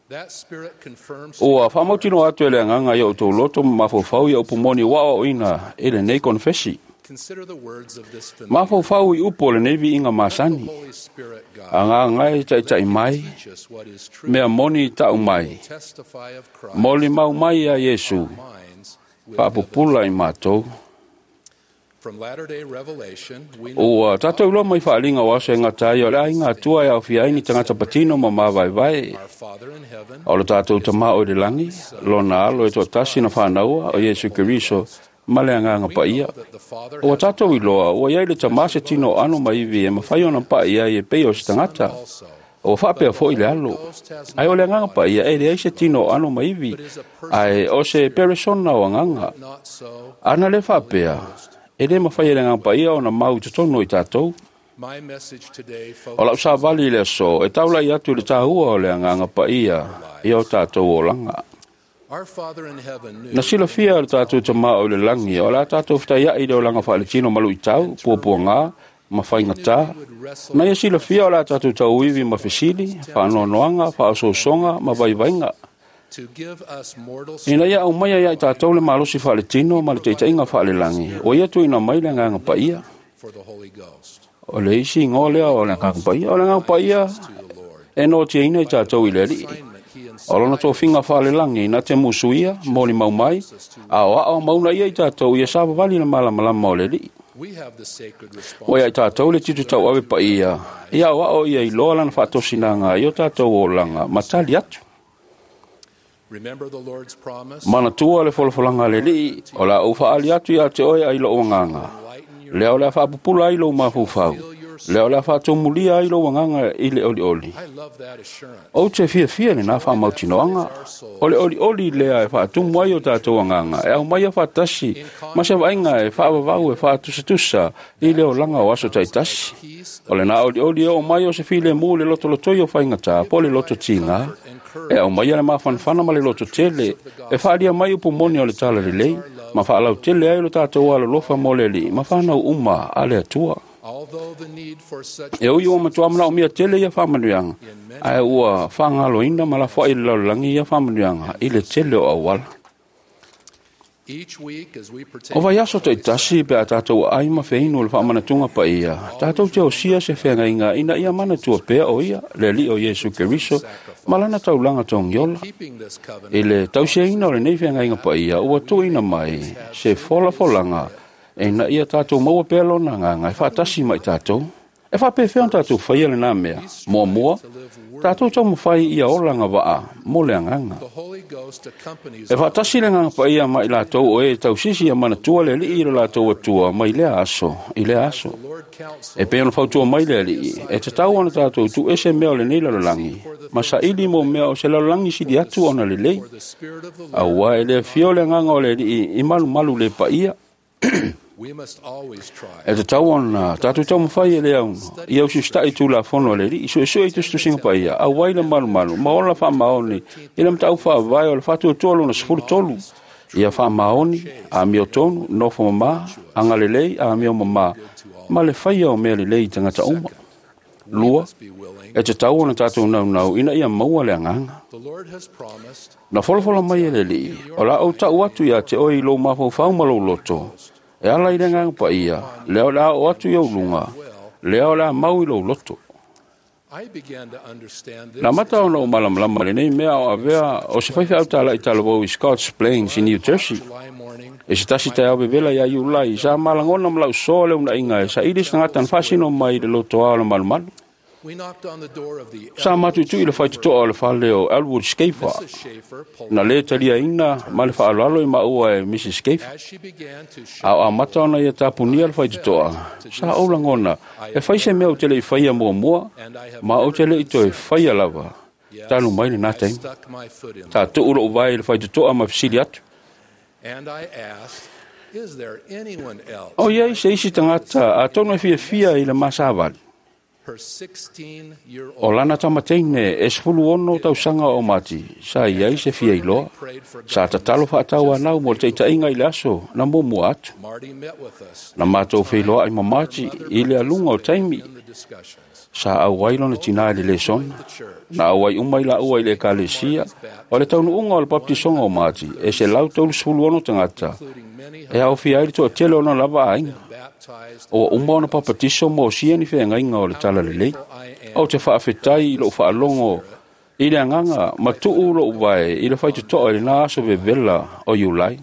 That Spirit confirms to Ua faamautinoa atu e le agaga ia outou loto ma mafaufau ia upu moni ua aoaoina i lenei konefesi. Consider the words of this familiar. Mafaufau i upu o lenei viiga masani. Holy Spirit God, Agaga e taitai mai, teach us what is true. mea moni ta'u mai. Testify of Christ. Molimau mai ia Iesu, Minds with faapupula i matou. From Latter-day Revelation, we know Ua tātou loa mai whaalinga o aso e ngata ai o le aiga atua e awhia ai ni tangata patino ma māvaevae. our Father in heaven O le tātou tamā o le langi, lona alo e toatasi na whānaua o Iesu Keriso, ma le agaga paia. that the Father Ua tātou i loa, ua iai le tamā se tino o ano maivi e mawhai ona paia ai e pei o se tangata. also O whaapea foi le alo. Ai o le agaga paia e leai se tino o ano maivi, ai o se peresona o agaga. not so. Ana le whaapea, e le mawhai e le agaga paia o na mau i totonu i tātou. My message today O lau focuses savali i le aso, e taulai atu i le tāhua o le agaga paia i o tātou olanga. Our Father in heaven knew Na silafia le tātou tamā o le langi, o la tātou whitaiai le olanga whaaletino malu i tau, puapuangā, ma whaingatā. Na ia silafia o la tātou tauiwi ma whisili, whaanoanoanga, whaasosonga, ma vaivainga. to give us mortal Ina ia au mai ai tātou le malosi whaaletino ma le teiteinga whaalelangi, o ia tuina mai le agaga paia. for the Holy Ghost. O le isi ingoa lea o le agaga paia, o le agaga paia To the Lord. e no te ina i tātou i le alii. Assignment he O lona tofiga faalelagi na te musuia, molimau mai, a o ao mauna ia i tātou ia savavali le malamalama o le alii. Ua ia i tātou le titu tau ave pa ia, ia o ao ia i loa lana whaatosinaga i o tātou olaga ma tali atu. Manatua le folafolanga le lii, o la ou whaali atu ia te oe ai lo wanganga. Lea o lea whaapupula ai lo mafaufau. Lea o lea whaatumulia ai lo wanganga i le oli oli. O te fia fia le nā whaamautinoanga. O le oli oli lea e whaatumu ai o tātou wanganga. E au mai a whaatasi, ma se vainga e whaavavau e whaatusatusa i le olanga o aso taitasi. O le nā oli oli e o mai o se file mū le loto lotoi o whaingata, po le loto tinga. E au mai le mafanafana ma le loto tele, e whaalia mai upu moni o le tala lelei, ma whaalau tele ai lo tātou alolofa mo le li, ma whanau uma a le atua. E ui ua matua mana o mia tele ia whaamanuianga, ae ua whaangaloina ma lafoa i le lalolagi ia whaamanuianga i le tele o auala. O vai aso taitasi pe a tātou ai ma wheinu o le whaamanatunga pa ia, tātou te osia se whengainga ina ia manatua pea o ia, le li o Iesu Keriso, ma lana taulanga tongiola. I le tausiaina o le nei whengainga pa ia, ua tuina mai se folafolanga e na ia tātou maua pea lona nganga e whaatasi mai tātou. E whaapewhea on tātou whaia le nā mea. Mua mua, tātou tau mawhai ia olanga waa, mo le anganga. E whaatasi le nganga pa ia mai lātou o e tausisi ia manatua le lii le lātou atua mai lea aso, i lea aso. E pe ona whautua mai le lii, e te tau ana tātou tu ese mea o le nei lalolagi, ma sa ili mo mea o se lalolagi sili atu ona le lei. Aua e lea fio le nganga o le lii i malu malu le pa ia. E te tau ona, tātou tau mawhai e le auno, i au sustai tū la fono le ri, i sue sue i tustusinga pa ia, au wai le malu malu, ma ola wha maoni, i le mtau wha vai o le whatu tua lona 13, ia wha maoni, a mio tonu, nofo mama, anga lelei, a mio mama, ma le whaia o mea lelei tangata uma. Lua, e te tau ona tātou nau nau, ina ia maua le anganga. Na folafola mai e le lii, o la au tau atu ia te oi lo mafaufau ma lou loto, e ala i le nganga pa ia, lea o lea o atu i au lunga, lea o lea mau i lou loto. Nā mata ona o malamalama le nei mea o avea o se whaiwhi au tāla i talavau i Scotts Plains i New Jersey. E se tasi tai au bebela ia iulai, sa malangona malau soa le una inga e sa ili sa ngatan whasino mai le loto ao le malumalu. Sa matutu i le whaitutoa o le whale o Elwood Schaefer. Na le talia ina ma le whaalalo i maua e Mrs. Schaefer. A o amata ona ia tapunia le whaitutoa. Sa aulangona, e whaise mea o te le i whaia mua mua, ma o te le i toe whaia lava. Tānu mai le nā taimi. Tā tuulo o vai le whaitutoa ma fisili atu. O ia i se isi tangata a tono e fia fia i le masāvali. O lana tamateine e 16 tausanga o mati, sa iai se fia iloa, sa tatalo whaatau anau mo te itainga i le aso, na mumua atu. Na mātou wheiloa i mamati i le alunga o taimi, sa au ai lona tina i le lesona, na au ai umai la ua i le ekalesia, o le taunuunga o le baptisonga o mati, e se lau 36 tangata, e au fia ai le toa tele ona lava ainga. O uma ona papatiso mo sia ni whengainga o le tala lelei. O te whaafetai i lou whaalongo i le anganga ma tuu lou vai i le whaitutoa i le nā aso vevela o Iulai.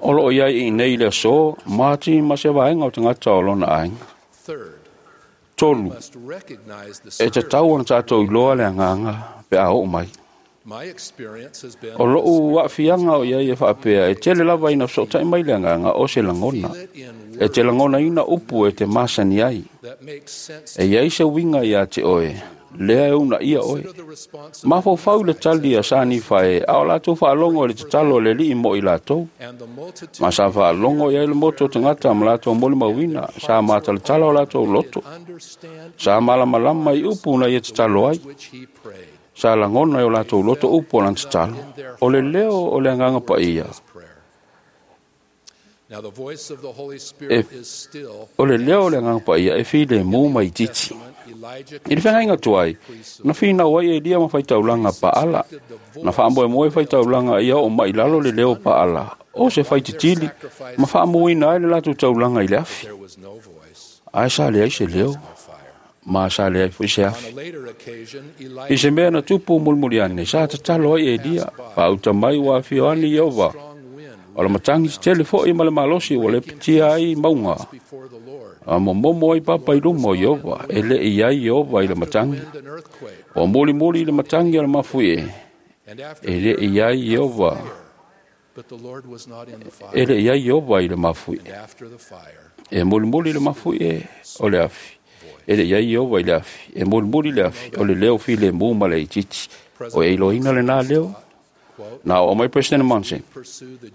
O loo iai i nei le aso, māti ma se vaenga o tangata o lona ainga. 3. E te tau ona tātou i loa le anganga pe a oo mai. O lou waafianga o ia ia whaapea, e tele lava ina sotai mai le anganga o se langona. E te langona ina upu e te masani ai. E iai se winga ia te oe, lea e una ia oe. Mafaufau le tali a sani whae, a o lātou whaalongo le tatalo le lii mo i lātou. Ma sa whaalongo ia i le moto tangata ma lātou moli mawina, sa mātalatala o lātou loto. Sa malamalama i upu na ia tatalo ai. Sa langona e o lātou loto upu o lan tatalo. O le leo o le anganga pa ia. O le leo o le anganga pa ia e while mū mai titi. I le whangainga tuai, na whina wai e lia ma whaitaulanga pa ala. Na whaamboe moe whaitaulanga ia o mai lalo le leo pa ala. O se whaititili, ma whaamuina ai le lātou taulanga i le afi. Ai sa le ai se leo. Ma sa le ai fui se afi. I se mea na tupu mulmuli ane, sa tatalo ai e lia, pa uta mai wa whioani Iova. O le matagi tetele foʻi ma le malosi ua lepetia ai mauga a momomo ai papa i luma o Ieova, e leʻi ai Ieova i le matagi. Ua mulimuli i le matagi o le mafuie, e leʻi ai Ieova, e leʻi ai Ieova i le mafuie. E mulimuli le mafuie o le afi, e leʻi ai Ieova i le afi. E mulimuli le afi o le leo filemu ma le itiiti. O e iloaina lenā leo na o mai President Monson.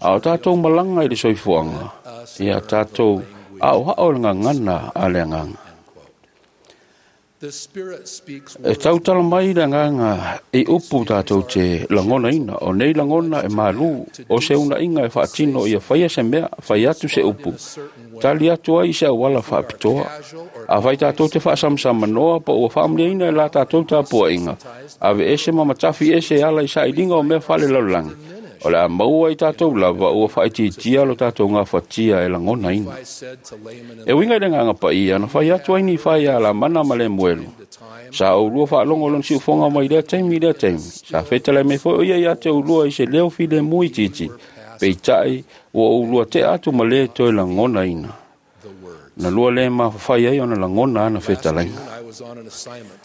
A o tātou malaga i le soifuaga, ia tātou aoao le gagana a le agaga. E tautala mai le agaga i upu tātou te lagonaina, o nei lagona e malū, o se unaiga e faatino ia faia se mea, fai atu se upu, tali atu ai se auala faapitoa. Afai tātou te faasamsamanoa po ua faamanuiaina e la tātou tapuaiga, ave ese ma matafi ese e ala i sailiga o mea faalelalolagi, o le a maua i tātou lava ua faaitiitia lo tātou gafatia e lagonaina. E uiga i le agaga paia na fai atu ai Nifai ia Lamana ma Lemuelu. Sa oulua faalogo lona siufoga mai lea taimi i lea taimi. Sa fetalai mai foi o ia ia te oulua i se leo filemu itiiti, peitaʻi ua oulua teʻa atu ma lē toe lagonaina. Na lua lē mafafai ai ona lagona ana fetalaiga.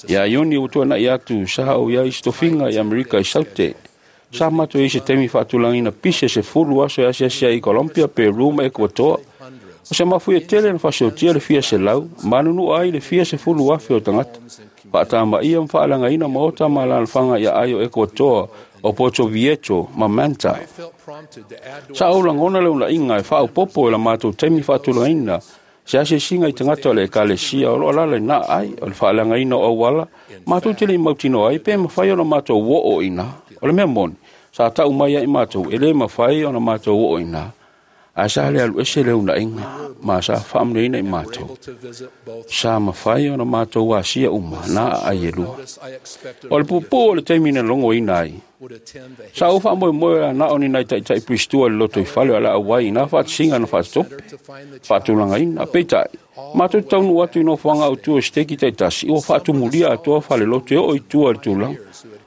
Ia Iuni ua tuanaʻi atu sa ou iai se tofiga i Amerika i Saute. Sa matou i se taimi faatulagaina pise 10 aso e asiasi ai i Colombia, Peru ma Ekuatoa. O se mafuie tele na faasiotia le fia selau, ma anunuʻa ai le fia 10,000 o tagata. Faatamaia ma faaleagaina maota ma alalafaga ia ai o Ekuatoa, o Porto Viejo ma Manta. Sa ou lagona le unaiga e faaopopo e la matou taimi faatulagaina se asiasiga i tagata o le ekalesia o loo alala i na ai o le faaleagaina o auala, matou te le i mautinoa ai pe mafai ona matou oo i ina. O le mea moni, sa tau mai ai matou e lē mafai ona matou oo i ina, ae sa le alu ese le unaiga ma sa faamanuiaina i matou. Sa mafai ona matou asia uma na aai e lua. O le puupuu o le taimi na logoina ai, sa ou faamoemoe la na o ni nai taʻitaʻi Piristua i le loto i fale o le auai i nā faatasiga na faatotope faatulagaina. Peitai, matou te taunuu atu i nofoaga autu o seteki taitasi, ua faatumulia atoa faleloto e oo i tua i le tulaga.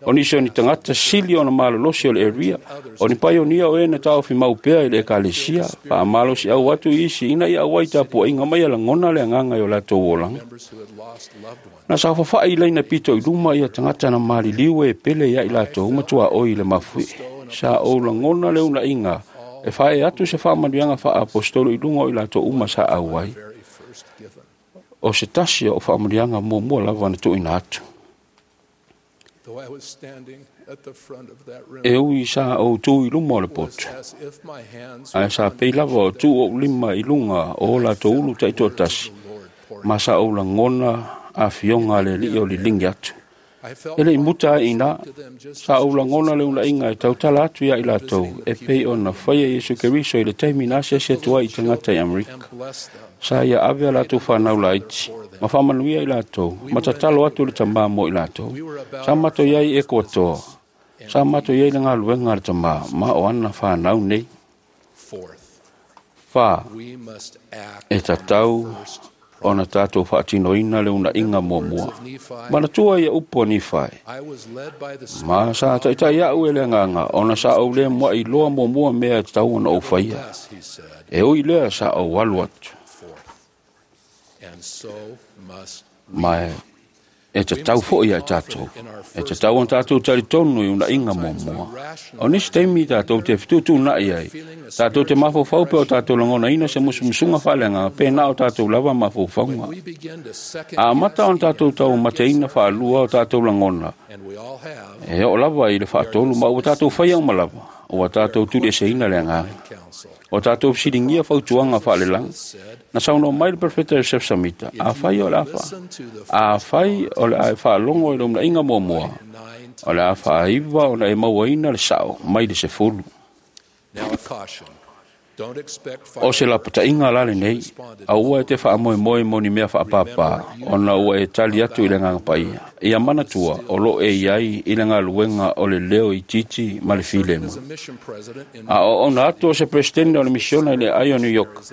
O nisi o ni tagata sili ona malolosi o le area, o ni paionia o e na taofi mau pea i le ekalesia, faamalosiau atu i isi ina ia auai tapuaiga mai ia lagona le agaga i o latou olaga. Na saofafai i laina pito i luma ia tagata na maliliu e pele ia i latou matuaoi i le mafuie. Sa ou lagona le unaiga e fae atu se faamanuiaga faaapostolo i luga o i latou uma sa auai. O se tasi o faamanuiaga muamua lava na tuuina atu. E ui sa ou tu i luma o le poto, ae sa pei lava o tuu ou lima i luga o o latou ulu taitoatasi, ma sa ou lagona afioga a le alii o liligi atu. E leʻi muta ai ina, sa ou lagona le unaiga e tautala atu ia i latou, e pei ona faia Iesu Keriso i le taimi na asiasi atu ai i tagata i Amerika. Sa ia ave a latou fanau laiti, ma faamanuia i latou, ma tatalo atu le tamā mo i latou. Sa matou iai i Ekuatoa, sa matou iai le galuega a le tamā, ma o ana fanau nei. 4. E tatau ona tātou faatinoina le unaiga muamua. Manatua ia upu a Nifai. Ma sa taʻitaʻi aʻu e le agaga, ona sa ou lē muaʻi loa muamua mea e tatau ona ou faia. E ui lea sa ou alu atu. Ma e tatau foʻi ia i tatou. E tatau ona tatou talitonu i unaiga muamua. O nisi taimi tatou te fetuutuunaʻi ai, tatou te mafaufau pe o tatou lagonaina se musumusuga faaleagaga pe na o tatou lava mafaufauga. A amata ona tatou taumateina faalua o tatou lagona, e oo lava i le faatolu ma ua tatou faia uma lava, ua tatou tulieseina le agaga. O tatou fesiligia fautuaga faalelagi. Na saunoa mai le Perofeta Iosef Samita, afai o le a afai o le a e faalogo i le unaiga muamua, o le a faaiva ona e mauaina le sao mai le 10. O se lapataiga la lenei, aua e te faamoemoe mo ni mea faapāpā, ona ua e tali atu i le agaga paia. Ia manatua o loo e iai i le galuega o le leo itiiti ma le filemu. A o ona atu o se presidente o le misiona i le ai o New York,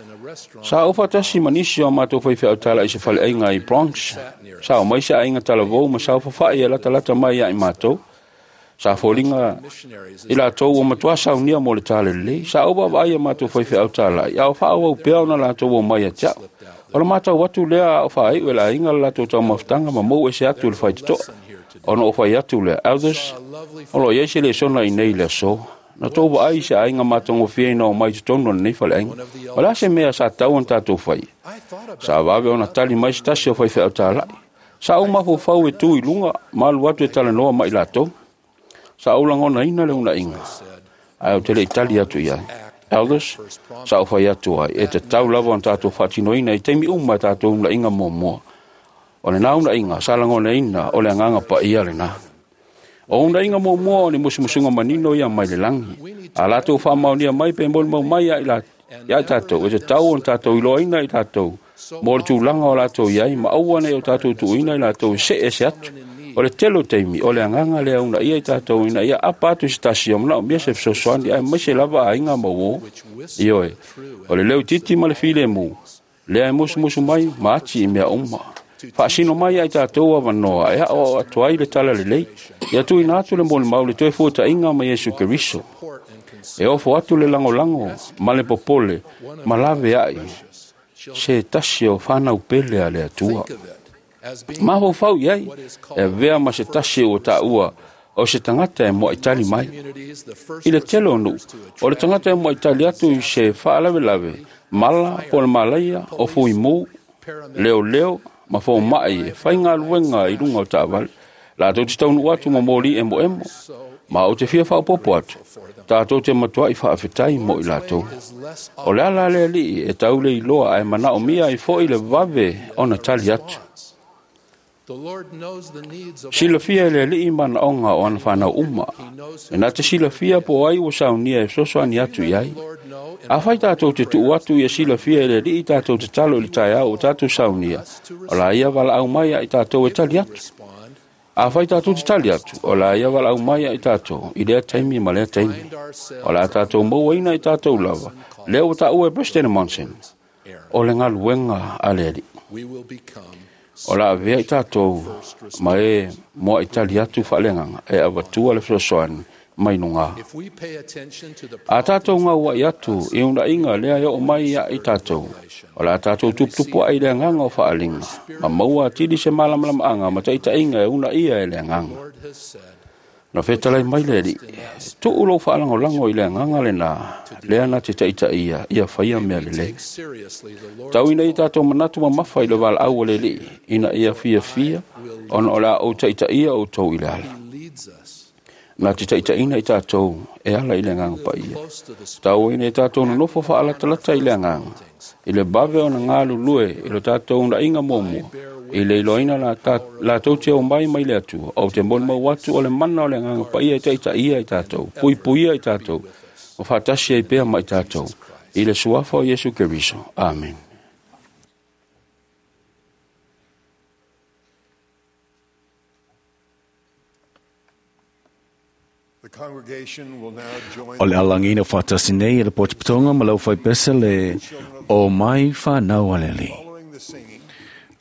sa ou faatasi ma nisi o matou faifeau tala i se faleaiga i Bronx. Sa o mai se aiga talavou ma saofafaʻi e latalata mai ia i matou. Sa foliga i latou ua matuā saunia mo le talalelei. Sa ou vaavaai iā matou faifeau talai, a o faaauau pea ona latou omai ia te a'u. O le matau atu lea a o faai'u e le aiga le latou taumafataga ma mou ese atu i le faitotoa. Ona ou fai atu lea, Elders, o lo o i ai se lesona i nei i le aso. Na tou vaai i se aiga matagofie ina omai i totonu o lenei faleaiga. O le a se mea sa tatau ona tatou faia? Sa vave ona tali mai se tasi o faifeau talai. Sa ou mafaufau e tu i luga ma alu atu e talanoa ma i latou. Sa ou lagonaina le uuna'iga, ae ou te le i tali atu i ai. Elders, sa ou fai atu ai, e tatau lava ona tatou faatinoina i taimi uma e tatou uuna'iga muamua. O lenā uuna'iga sa lagonaina o le agaga paia lenā. O uuna'iga muamua o ni musumusuga manino ia mai le lagi. A latou faamaonia mai pe molimau mai ia i tatou, e tatau ona tatou iloaina i tatou mo le tulaga o latou i ai ma aua nei o tatou tuuina i latou e se'e ese atu. O le tele o taimi, o le agaga lea uunaia i tatou ina ia apa atu i se tasi o manaomia se fesoasoani aemaise lava aiga ma uō. Ioe, o le leutiti ma le filemu, lea e musumusu mai ma ati i mea uma. Faasino mai ia i tatou avanoa e aʻoaʻo atu ai le talalelei, ia tuuina atu le molimau i le toe fuata'iga ma Iesu Keriso. E ofo atu le lagolago ma le popole ma lavea'i se tasi o fanau pele a le Atua. Mafaufau i ai, e avea ma se tasi ua taua o se tagata e muaʻitali mai. I le tele o nuu, o le tagata e muaʻitali atu i se faalavelave, mala po o le malaia, o fuimū, leoleo ma fomaʻi e faigaluega i luga o taavale. Latou te taunuu atu ma moli emoemo, ma ou te fia faaopoopo atu, tatou te matuaʻi faafetai mo i latou. O le ala le alii e tau le iloa ae manaomia ai foʻi le vave ona tali atu. Silafia e le alii manaoga o ana fanau uma. E na te silafia po o ai ua saunia e fesoasoani atu i ai. Afai tatou te tuu atu ia silafia e le alii tatou tatalo i le taeao ua tatou saunia, o la ia valaau mai ia i tatou e tali atu. Afai tatou te tali atu, o la ia valaau mai ia i tatou i lea taimi ma lea taimi. O le a tatou mauaina i tatou lava, lea ua taua e President Monson, o le galuega a le alii. O le a avea i tatou ma e muaʻitali atu faaleagaga e avatua le fesoasoani mai lugā. A tatou gauaʻi atu i uuna'iga lea e oo mai ia i tatou, o le a tatou tuputupuaʻe i le agaga o faaliga ma maua atili se malamalamaaga ma taʻitaʻiga e uunaia e le agaga. Na fetalai mai le alii, tuu lou faalagolago i le agaga lenā lea na te taʻitaʻia ia faia mea lelei. Tau ina ia tatou manatu mamafa i le valaau a le alii ina ia fiafia ona o le a ou taʻitaʻia outou i le ala. Na te taʻitaʻina i tatou e ala i le agaga paia. Tau ina ia tatou nonofo faalatalata i le agaga, i le vave ona galulue i lo tatou uuna'iga muamua, i le iloaina latou te omai mai le Atua. Ou te molimau atu o le mana o le agaga paia e taʻitaʻia i tatou, puipuia i tatou, ma faatasi ai pea ma i tatou, i le suafa o Iesu Keriso. Amen. O le alagiina faatasi nei e le potopotoga ma le aufaipese le o mai fanau a le alii.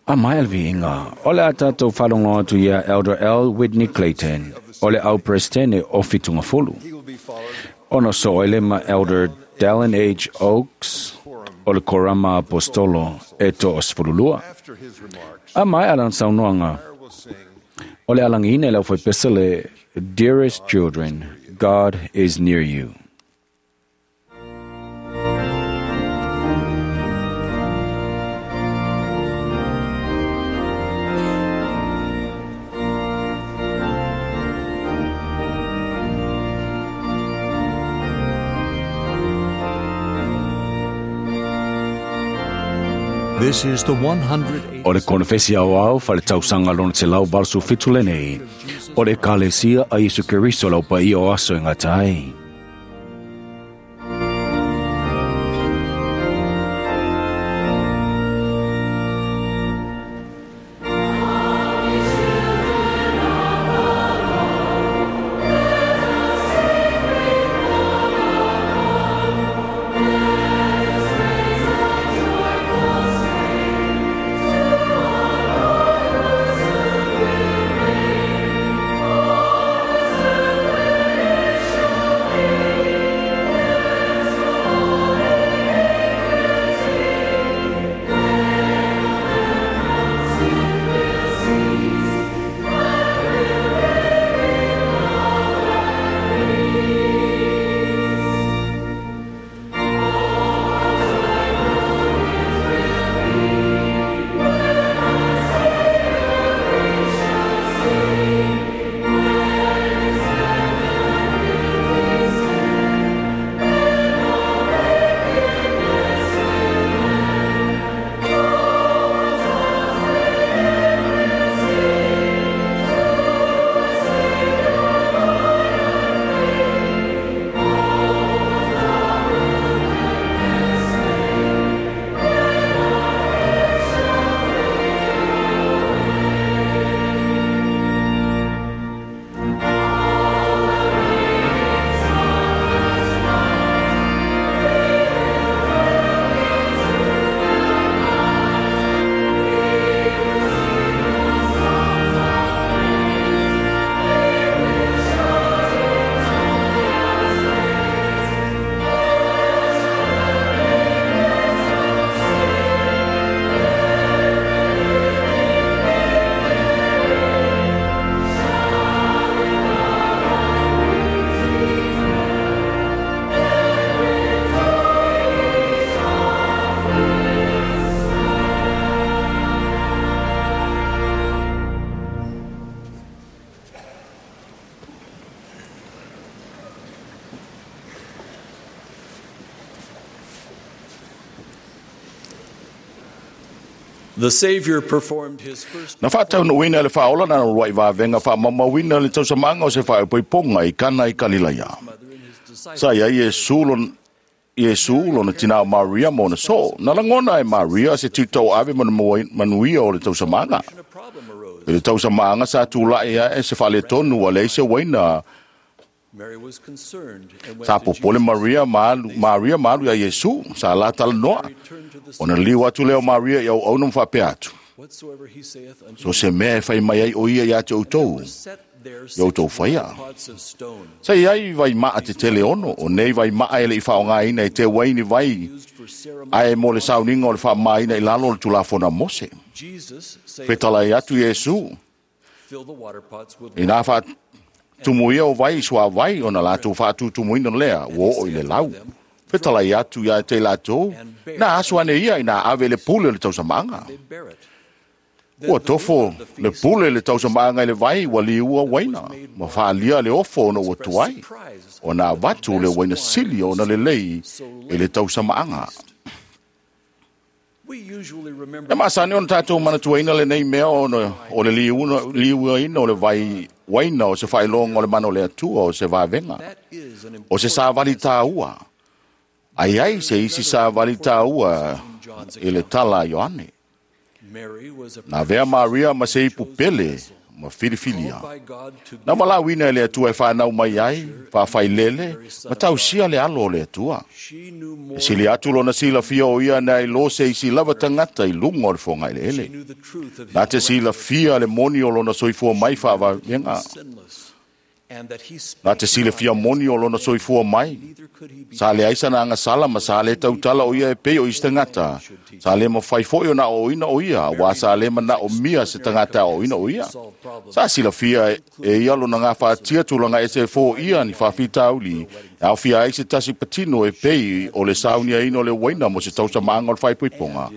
A mai le viiga, o le a tatou faalogo atu ia Elder L. Whitney Clayton, o le au Peresetene o Fitungafulu. Ona soo ai le ma Elder Dallin H. Oaks, o le Korama Apostolo e 12. A mai lana saunoaga, o le alagiina e le aufaipese le Dearest Children, God is Near You. This is the 108. O le konefesi aoao faletausaga lona 187 lenei, o le Ekalesia a Iesu Keriso le aupaia o aso e gata ai. The Savior performed his first Na faataunuuina e le faaola na luaʻi vavega faamaumauina le tausamaga o se faaipoipoga i Kana i Kalilaia. Sa iai Iesu lona tinā o Maria ma ona soo. Na lagona e Maria se tiutauave ma manuia o le tausamaga. I le tausamaga sa tulaʻi aʻe se faaletonu ua leai se uaina. Mary was concerned and went Sa to popole Maria ma alu iā Iesu, sa la talanoa. Ona liu atu lea o Maria i auauna ma faapea atu. whatsoever he saith unto So se mea e fai mai ai o ia iā te outou, set there i outou faia. pots of stone Sa iai vaimaa tetele 6, o nei vaimaa e leʻi faaaogāina e teuaini vai, ae mo le sauniga o le faamamaina i lalo o le Tulafono a Mose. Jesus saith Fetalai atu Iesu, fill the water pots with inā faatumuia o vai i suāvai ona latou faatutumuina lea ua oo i le lau. Fetalai atu iā te latou, na aso ane ia ina ave le pule o le tausamaga. bear it. Ua tofo le pule le tausamaga i le vai ua liua uaina, ma faalia le ofo ona ua tuai, ona avatu le uaina sili ona lelei i le tausamaaga. We usually remember E masani ona tatou manatuaina lenei mea ona o le liuaina o le vai uaina o se faailoga o le mana o le Atua o se vavega, o se savali tāua. Ai ai se isi savali tāua i le tala a Ioane. Mary was a Na avea Maria ma se ipu pele ma filifilia. by God to Na valaauina e le Atua e whanau mai ai, faafailele, ma tausia le alo o le Atua. E sili atu lona silafia o ia na i lo se isi lava tagata i luga o le fogaeleele. knew the truth of Na te silafia le moni o lona soifua mai faavaega. sinless and that he Na te silafia moni o lona soifua mai. Sa leai sana agasala ma sa le tautala o ia e pei o isi tagata. Sa le mafai foi ona aoaoina o ia, auā sa le manaomia se tagata e aoaoina o ia. Sa silafia e ia lona gafatia tulaga ese e foia ni faafitauli, e aofia ai se tasi patino e pei o le sauniaina o le uaina mo se tausamaaga o le faaipoipoga.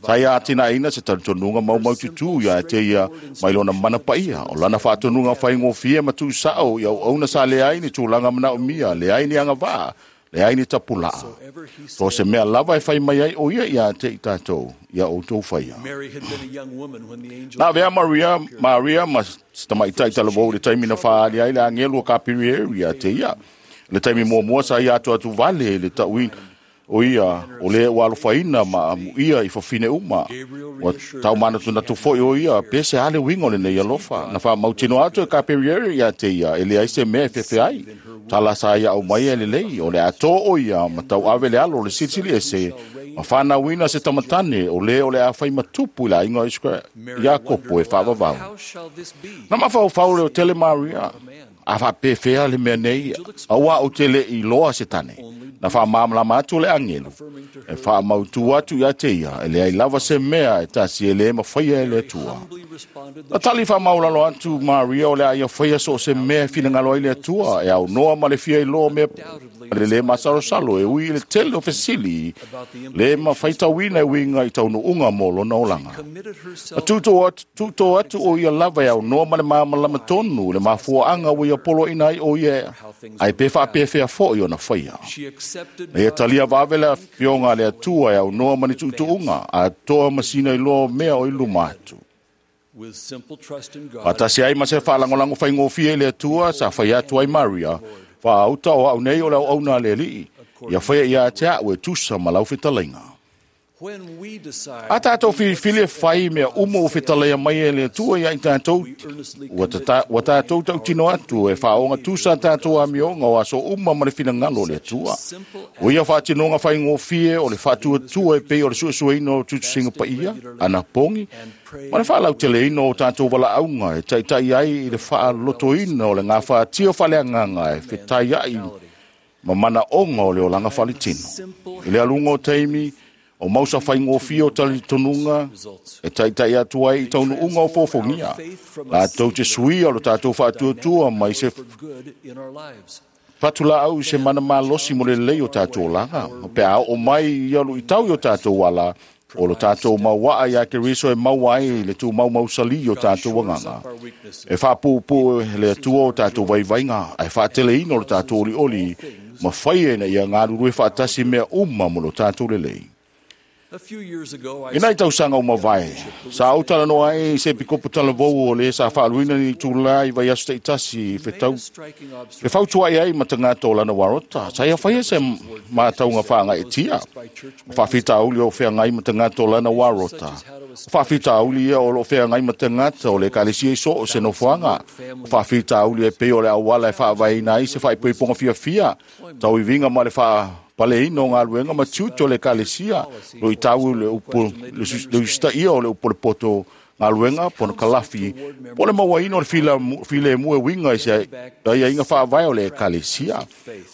Sa ia atinaeina se talitonuga maumaututū ia te ia mai lona mana paia, o lana faatonuga faigofie ma tuusao i auauna sa leai ni tulaga manaomia, leai ni agavaa, leai ni tapulaa. So se mea lava e fai mai ai o ia ia te i tatou, ia outou faia. Mary had been a young woman when the angel Na avea Maria ma se tamaitai talavou i le taimi na faaali ai le agelu o Kapirieri ia te ia. Le taimi muamua sa ia atu atu vale i le tauina o ia o le ua alofaina ma amuia i fafine uma. Ua taumanatunatu foi o ia pe se a le uiga o lenei alofa. Na faamautino atu e Kapirieri ia te ia e leai se mea e fefe ai. Tala sa ia au mai e lelei o le atō o ia ma tauave le alo o le silisili ese ma whanauina se tamatane o le o le a whai matupu i la inga Iakopo e whaavavau. How shall this be? Na mafaufau le o tele Maria, a whaapefea le mea nei, aua o tele i loa se tane. Na whaamāmalama atu le angelu, e whaamautu atu ia te ia, e leai lava se mea e tasi e le mawhaia e le Atua. Na tali whaamaulalo atu Maria o le a ia whaia so se mea e finangalo ai le Atua, e au noa ma le fia i loa mea le le masalosalo e ui i le tele o fesili, le mafaitauina e uiga i taunuuga mo lona olaga. Na tūtō atu o ia lava e au noa ma le māmalama tonu, le mafuaaga ua ia poloaina ai o ia, ai pe faapefea foi ona faia. She accepted Na ia talia vave le afioga a le Atua e au noa ma ni tuutuuga, a toa masina i loa o mea o i luma atu. with simple trust in God Faatasi ai ma se faalagolago faigofie i le Atua, sa fai atu ai Maria, faaauta o au nei o le auauna a le Alii, ia faia ia te au e tusa ma lau fetalaiga. when we decide A tātou filifili e fai mea uma o fetalaia mai e le Atua ia i tātou, ua tātou tautino atu e whaonga tusa tātou amioga o aso uma ma le finangalo o le Atua. O ia whaatinoga whaingofie o le whaatuatua e pei o le suesueina o tutusinga paia, ana pongi, ma le whaalauteleina o tātou walaauga e taitai ai i le whaalotoina o le ngā whaatia whaleanganga e fetai ai ma mana onga o le olaga faaletino. I le aluga o taimi, o mausa faigofie o talitonuga e taitai atu ai i taunuuga o fofogia. Latou te suia o le tatou faatuatua mai se good in our lives. fatulaau i se mana malosi mo le lelei o tatou olaga. Pe a oo mai ia luitau i o tatou ala, o lo tatou mauaa ia Keriso e maua ai le tumaumausali o tatou agaga. E faapuupuu le Atua o tatou vaivaiga, ae faateleina o le tatou olioli, ma faia ina ia galulue faatasi mea uma mo lo tatou lelei. I nai tausaga ua mavae, sa ou talanoa ai i se epikopo talavou o lē sa faaluina ni itulā i vaiaso taʻitasi i fetau e fautuaʻi ai ma tagata o lana uarota. Sa ia faia se matauga faagaʻetia o faafitauli o feagai ma tagata o lana uarota. O faafitauli ia o loo feagai ma tagata o le ekalesia i soo se nofoaga. O faafitauli e pei o le auala e faavaeina ai se faaipoipoga fiafia, tauiviga ma le faapaleina o galuega ma tiute o le ekalesia, luitau le upu le usitaia o le upu o le poto galuega pona kalafi po o le mauaina o le filemu e uiga i se aiaiga faavae o le ekalesia.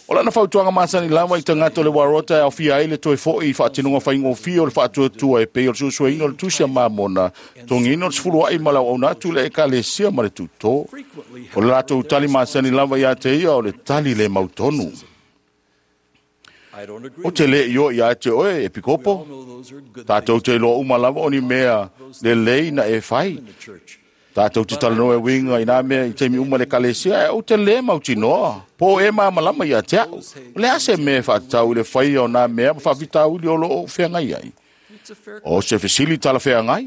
O lana fautuaga masani lava i tagata o le uarota e aofia ai le toe foʻi i faatinoga faigofie o le faatuatua e pei o le suesueina o le tusi a Mamona, togiina o le sefuluaʻi ma le auauna atu i le ekalesia ma le tutō. O le latou tali masani lava iā te ia o le tali le mautonu. O te le i o ia te oe e pikopo. Tātou te iloa uma lava o ni mea lelei na e fai. Tātou te talanoa e uiga i nā mea i taimi uma le ekalesia, e ou te lē mautinoa. Po o e malamalama ia te a'u. O le a se mea e faatatau i le faia o nā mea ma faafitauli o loo ou feagai ai? O se fesili talafeagai.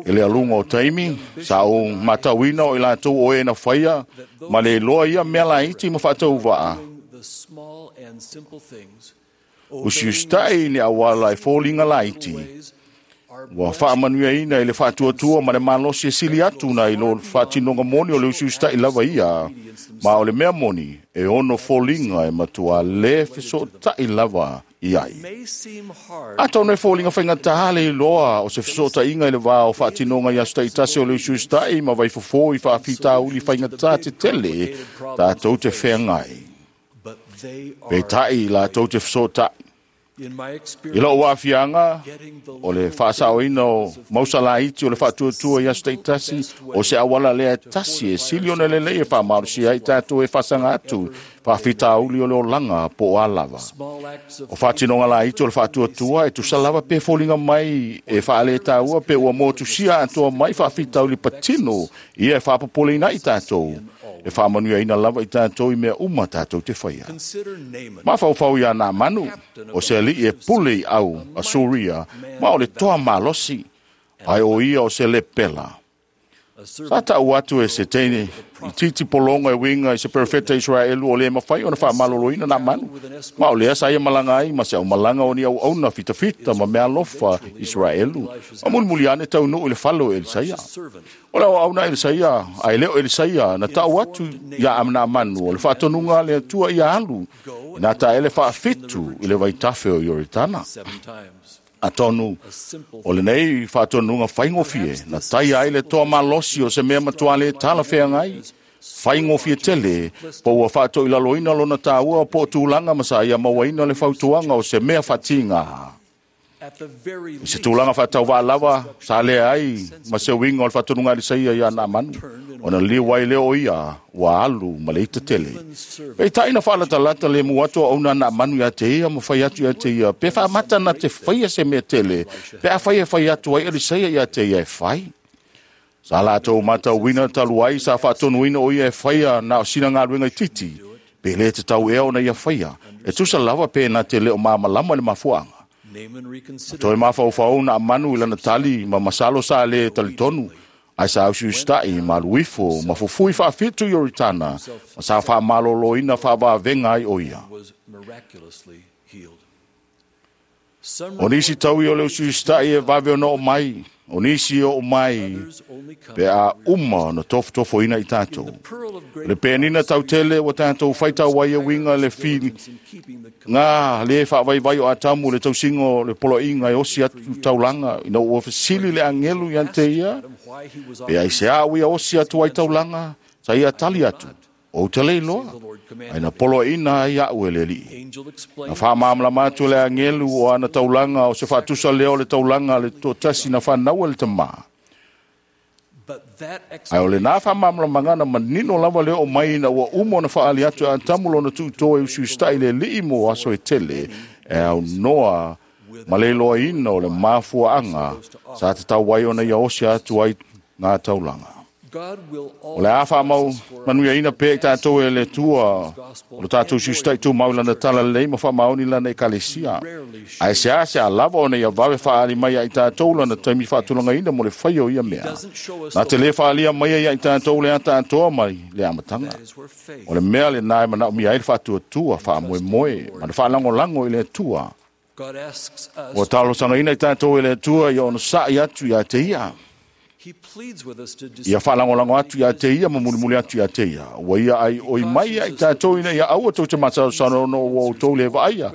I le aluga o taimi, sa ou matauina o i latou o e na faia ma le iloa ia mea laiti ma faatauvaa. Usiusitaʻi ni auala e foliga laiti. Ua faamanuiaina i le faatuatua ma le malosi e sili atu na i lo le faatinoga moni o le usiusitaʻi lava ia. Ma o le mea moni, e ono foliga e matua lē fesoʻotaʻi lava i ai. Atonu e foliga faigatā le iloa o se fesoʻotaʻiga i le vā o faatinoga i aso taʻitasi o le usiusitaʻi ma vaifofō i faafitauli faigatā tetele tatou te feagai. Peitai i latou te fesoʻotaʻi. I lou aafiaga, o le faasaoina o mausa laiti o le faatuatua i aso taʻitasi o se auala lea e tasi e sili ona lelei e faamalosia ai tatou e faasaga atu faafitauli o le olaga po o a lava. O faatinoga laiti o le faatuatua e tusa lava pe foliga mai e faalētaua pe ua motusia atoa mai faafitauli patino ia e faapopoleina ai tatou. E faamanuiaina lava i tatou i mea uma tatou te faia. Mafaufau iā Naamanu, o se aliʻi e pule i au a Suria, ma o le toa malosi, ae o ia o se lepela. Sa taʻu atu e se teine i titi pologa e uiga i se perofeta Iseraelu o lē mafai ona faamaloloina Naamanu, ma o lea sa ia malaga ai ma se aumalaga o ni auauna fitafita ma meaalofa Iseraelu, ma mulimuli ane taunuu i le fale o Elisaia. O le auauna Elisaia, ae le o Elisaia, na taʻu atu iā Naamanu o le faatonuga a le Atua ia alu i nā taele faafitu i le vaitafe o Ioritana. Atonu, o lenei faatonuga faigofie, na taia ai le toa malosi o se mea matuā lē talafeagai, faigofie tele, po ua faatoʻilaloina lona tāua po o tulaga ma sa ia mauaina le fautuaga o se mea faatiga. I se tulaga faatauvaa lava, sa lea ai ma se uiga o le faatonuga a Elisaia iā Naamanu, ona liu ai lea o ia ua alu ma le ita tele. Peitai na faalatalata lemu atu auauna a Naamanu iā te ia ma fai atu iā te ia, pe faamata na te faia se mea tele, pe afai e fai atu ai Elisaia iā te ia e fai. Sa latou matauina talu ai sa faatonuina o ia e faia na o sina galuega itiiti, pe lē tatau ea ona ia faia, e tusa lava pe na te le o malamalama le mafuaaga. Toe mafaufau Naamanu i lana tali ma masalo sa lē talitonu, ae sa usiusitaʻi ma alu ifo ma fufui faafitu Ioritana ma sa faamaloloina faavavega ai o ia. O nisi taui o le usiusitaʻi e vave ona oo mai, o nisi e oo mai pe a uma ona tofotofoina i tatou. O le penina tautele ua tatou faitau ai e uiga le fili ngā lē faavaivai o Atamu le tausiga o le poloaiga e osi atu taulaga ina ua fesili le agelu iā te ia pe aiseā ua ia osi atu ai taulaga, sa ia tali atu, ou te le iloa, ae na poloaiina ai aʻu e le Alii. Na faamalamalama atu e le agelu o ana taulaga o se faatusa lea o le taulaga a le toatasi na fanau e le tamā. Ae o lenā faamalamalamaga na manino lava le oo mai ina ua uma ona faaali atu e Atamu lona tuutō e usiusitaʻi i le Alii mo aso e tele e aunoa ma le iloaina o le mafuaaga sa tatau ai ona ia osi atu ai ngā taulaga. O le a whaamau manuia ina pē i tātou e le tua o le tātou siustai tū mau lana tala lei ma whaamaoni lana e kalesia. Ae se a se a lava o nei a wawe whaali mai ai tātou lana taimi whaatulanga ina mo le whaio ia mea. Nā te le whaalia mai ai tātou le ata atoa mai le amatanga. O le mea le nai mana umi ai le whaatua tua, whaamoe moe, ma le whaalangolango i le tua. O talo sanga ina i tātou e le tua ia ono sa'i atu ia te ia. Ia whaalangolango atu ia te ia, ma mulimuli atu ia te ia. Ua ia ai oi mai ai tātou ina ia aua tau te matasano no ua o tau le vaaia.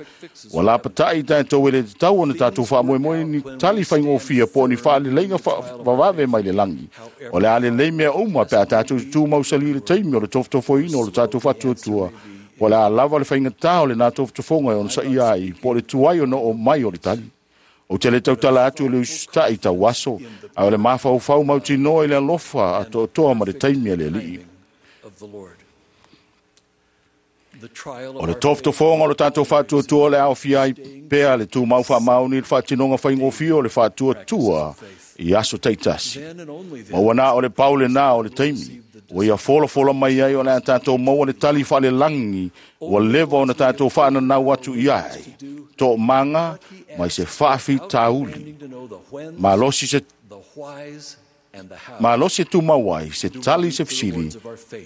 Ua lapatai tātou e le tau ona tātou whaamoemoe ni tali whaingofia po ni whaaleleinga wawave mai le langi. O le ale lei mea uma pe a tātou tū mausali le teimi o le tofotofoina o le tātou whatuatua. O le a lava le whaingatā o le nā tofotofonga e ona sa ia ai po le tuai o no o mai o le tali. O te le tautala atu le usita'i tau aso, a o le mafaufau mautinoa i le alofa a toatoa ma le taimi a le alii. O le tofotofoga o le tatou faatuatua o le aofia ai pea le tumau faamaoni le faatinoga faigofie o le faatuatua i aso taitasi. Ma ua na o le pau lenā o le taimi, ua ia folafola mai ai o le a tātou maua le tali faalelagi ua leva ona tātou faananau atu i ai. To'omaga mai se faafitauli. Malosi se malosi e tumau ai se tali se fesili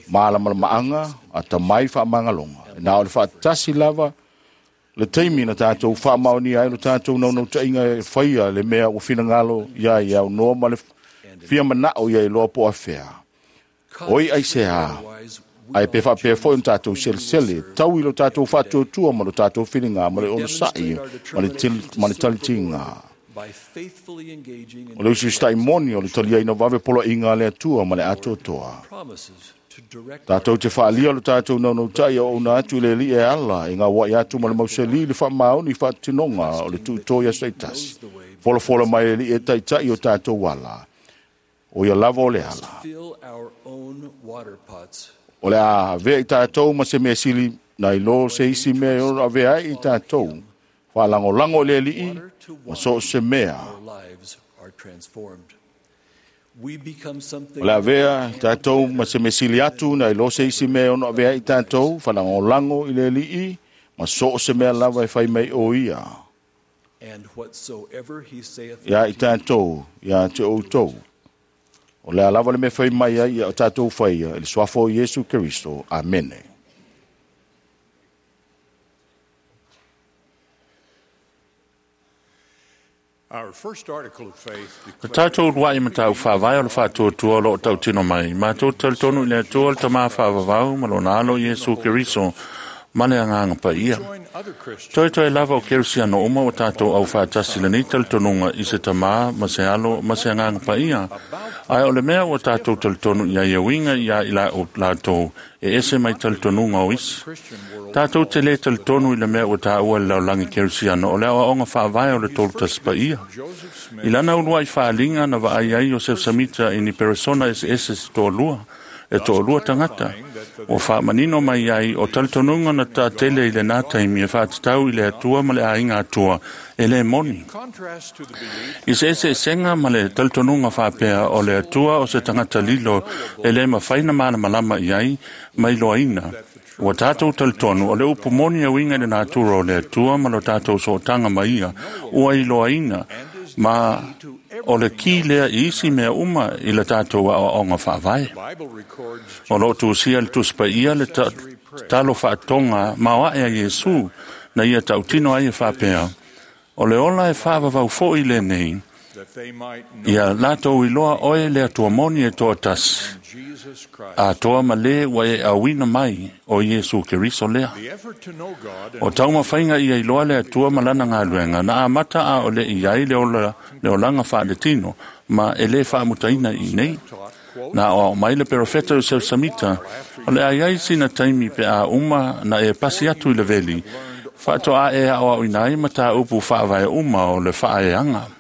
malamalamaaga atamai faamagaloga. E na o le faatasi lava le taimi na tātou faamaonia ai lo tātou naunautaiga e faia le mea ua finagalo ia i aunoa ma le fia mana'o ia iloa po afea. Oi ai se a, ai pe whaapea foi o tātou selesele, tau i lo tātou whaatuatua ma lo tātou whiringa, ma le onosai, ma le talitinga. O le usi moni o le talia ina wawe pola inga le atua ma le atoatoa. Tātou te whaalia lo tātou naunautai o una atu le li e ala i ngā wai atu ma le mauseli le whaamaoni whaatinonga o le tuutoia seitasi. Folafola mai le li e taitai o tātou ala. O ia lava o le ala. O le a vea i tātou ma se mea sili na ilo se isi mea e ono avea ai i tātou. Whaalangolango le alii ma so se mea. O le avea i tātou ma se mea sili atu na ilo se isi mea e ono avea ai i tātou. Whaalangolango i le alii ma so se mea lava e whai mai o ia. Ia i tātou, ia te outou. O le alava le me whai mai ai ia o tātou whaia, i le suafa o Iesu Keristo. Amene. Le tātou urua'i matau whāwai o le whātuatua o loo tautino mai. Mātou talitonu i le atua le tamā whāvavau ma lona alo Iesu Keriso ma le anganga pa ia. Toi toi lava o Kerisiano uma o tātou au whātasi le nei talitonunga i se tamā ma se alo ma se anganga pa ia. Ai o le mea o tātou talitonu ia ia winga ia i la o lātou e ese mai talitonunga o isi. Tātou te le talitonu i le mea o tāua le laulangi Kerisiano o le aoaoga whaavae o le tolu tasi pa ia. I lana ulua i whaalinga na vaai ai Joseph Samita i ni peresona ese ese se toalua. E toalua tangata. O whaamanino mai ai o talitonunga na tā tele i le nā taimi e whaatatau i le atua ma le ainga atua e le moni. I se ese senga ma le talitonunga whaapea o le atua o se tangata lilo e le mawhaina mana malama i ai mai loaina. Ua tātou talitonu o le upu moni a winga i le nātura o le atua ma lo tātou sootanga mai ia ua i loaina ma o le ki lea i isi mea uma i le tātou aoaoga faavae. O loo tusia le tusipaia le talo faatoga maoaʻe a Iesu na ia tautino ai e faapea. O le ola e faavavau foʻi lenei, ia latou iloa oe le Atua moni e toatasi. Atoa ma le ua e auina mai o Iesu Keriso lea. O taumafaiga ia iloa le Atua ma lana galuega na amata a o le i ai le olaga faaletino ma e lē faamutaina i nei. Na o mai le perofeta o Joseph Samita o le ai ai sina taimi pe a uma na e pasi atu i le veli faatoa e aoaoina ai ma tāupu faavae uma o le faaeaga.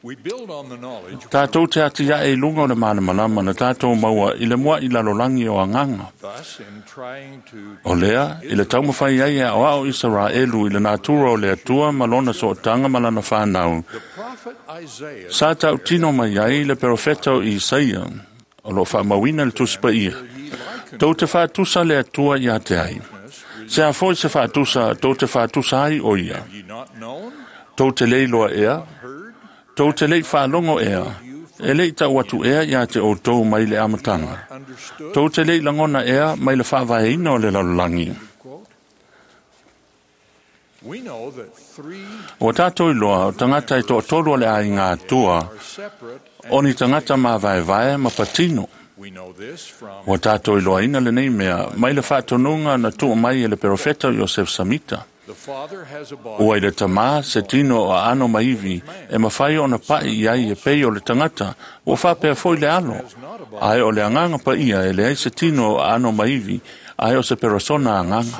Tātou te ati ae i lunga o le malamalama na tātou maua i le mua i lalolangi o anganga. O lea, i le taumafai ai e aoao Isaraelu i le natura o le Atua ma lona sootanga ma lana whanau. Sa tautino mai ai le perofeta o Isaia. O loo faamauina le Tusi Paia. Tou te faatusa le Atua ia te ai. Se a foi se faatusa tou te faatusa ai o ia. Tou te le iloa ea, tou te lei faalogo ea, e lei tau atu ea ia te outou mai le amataga. Tou te lei lagona ea mai le faavaeina o le lalolagi. Ua tatou iloa o tagata e toatolu o le aiga Atua, o ni tagata mavaevae ma patino. Ua tatou iloaina lenei mea mai le faatonuga na tuu mai e le perofeta o Iosef Samita. Ua i le tamā se tino o aano ma ivi e mafai ona pa'i i ai e pei o le tagata, ua faapea foi le alo. Ae o le agaga paia e leai se tino o aano ma ivi, ae o se perosona agaga.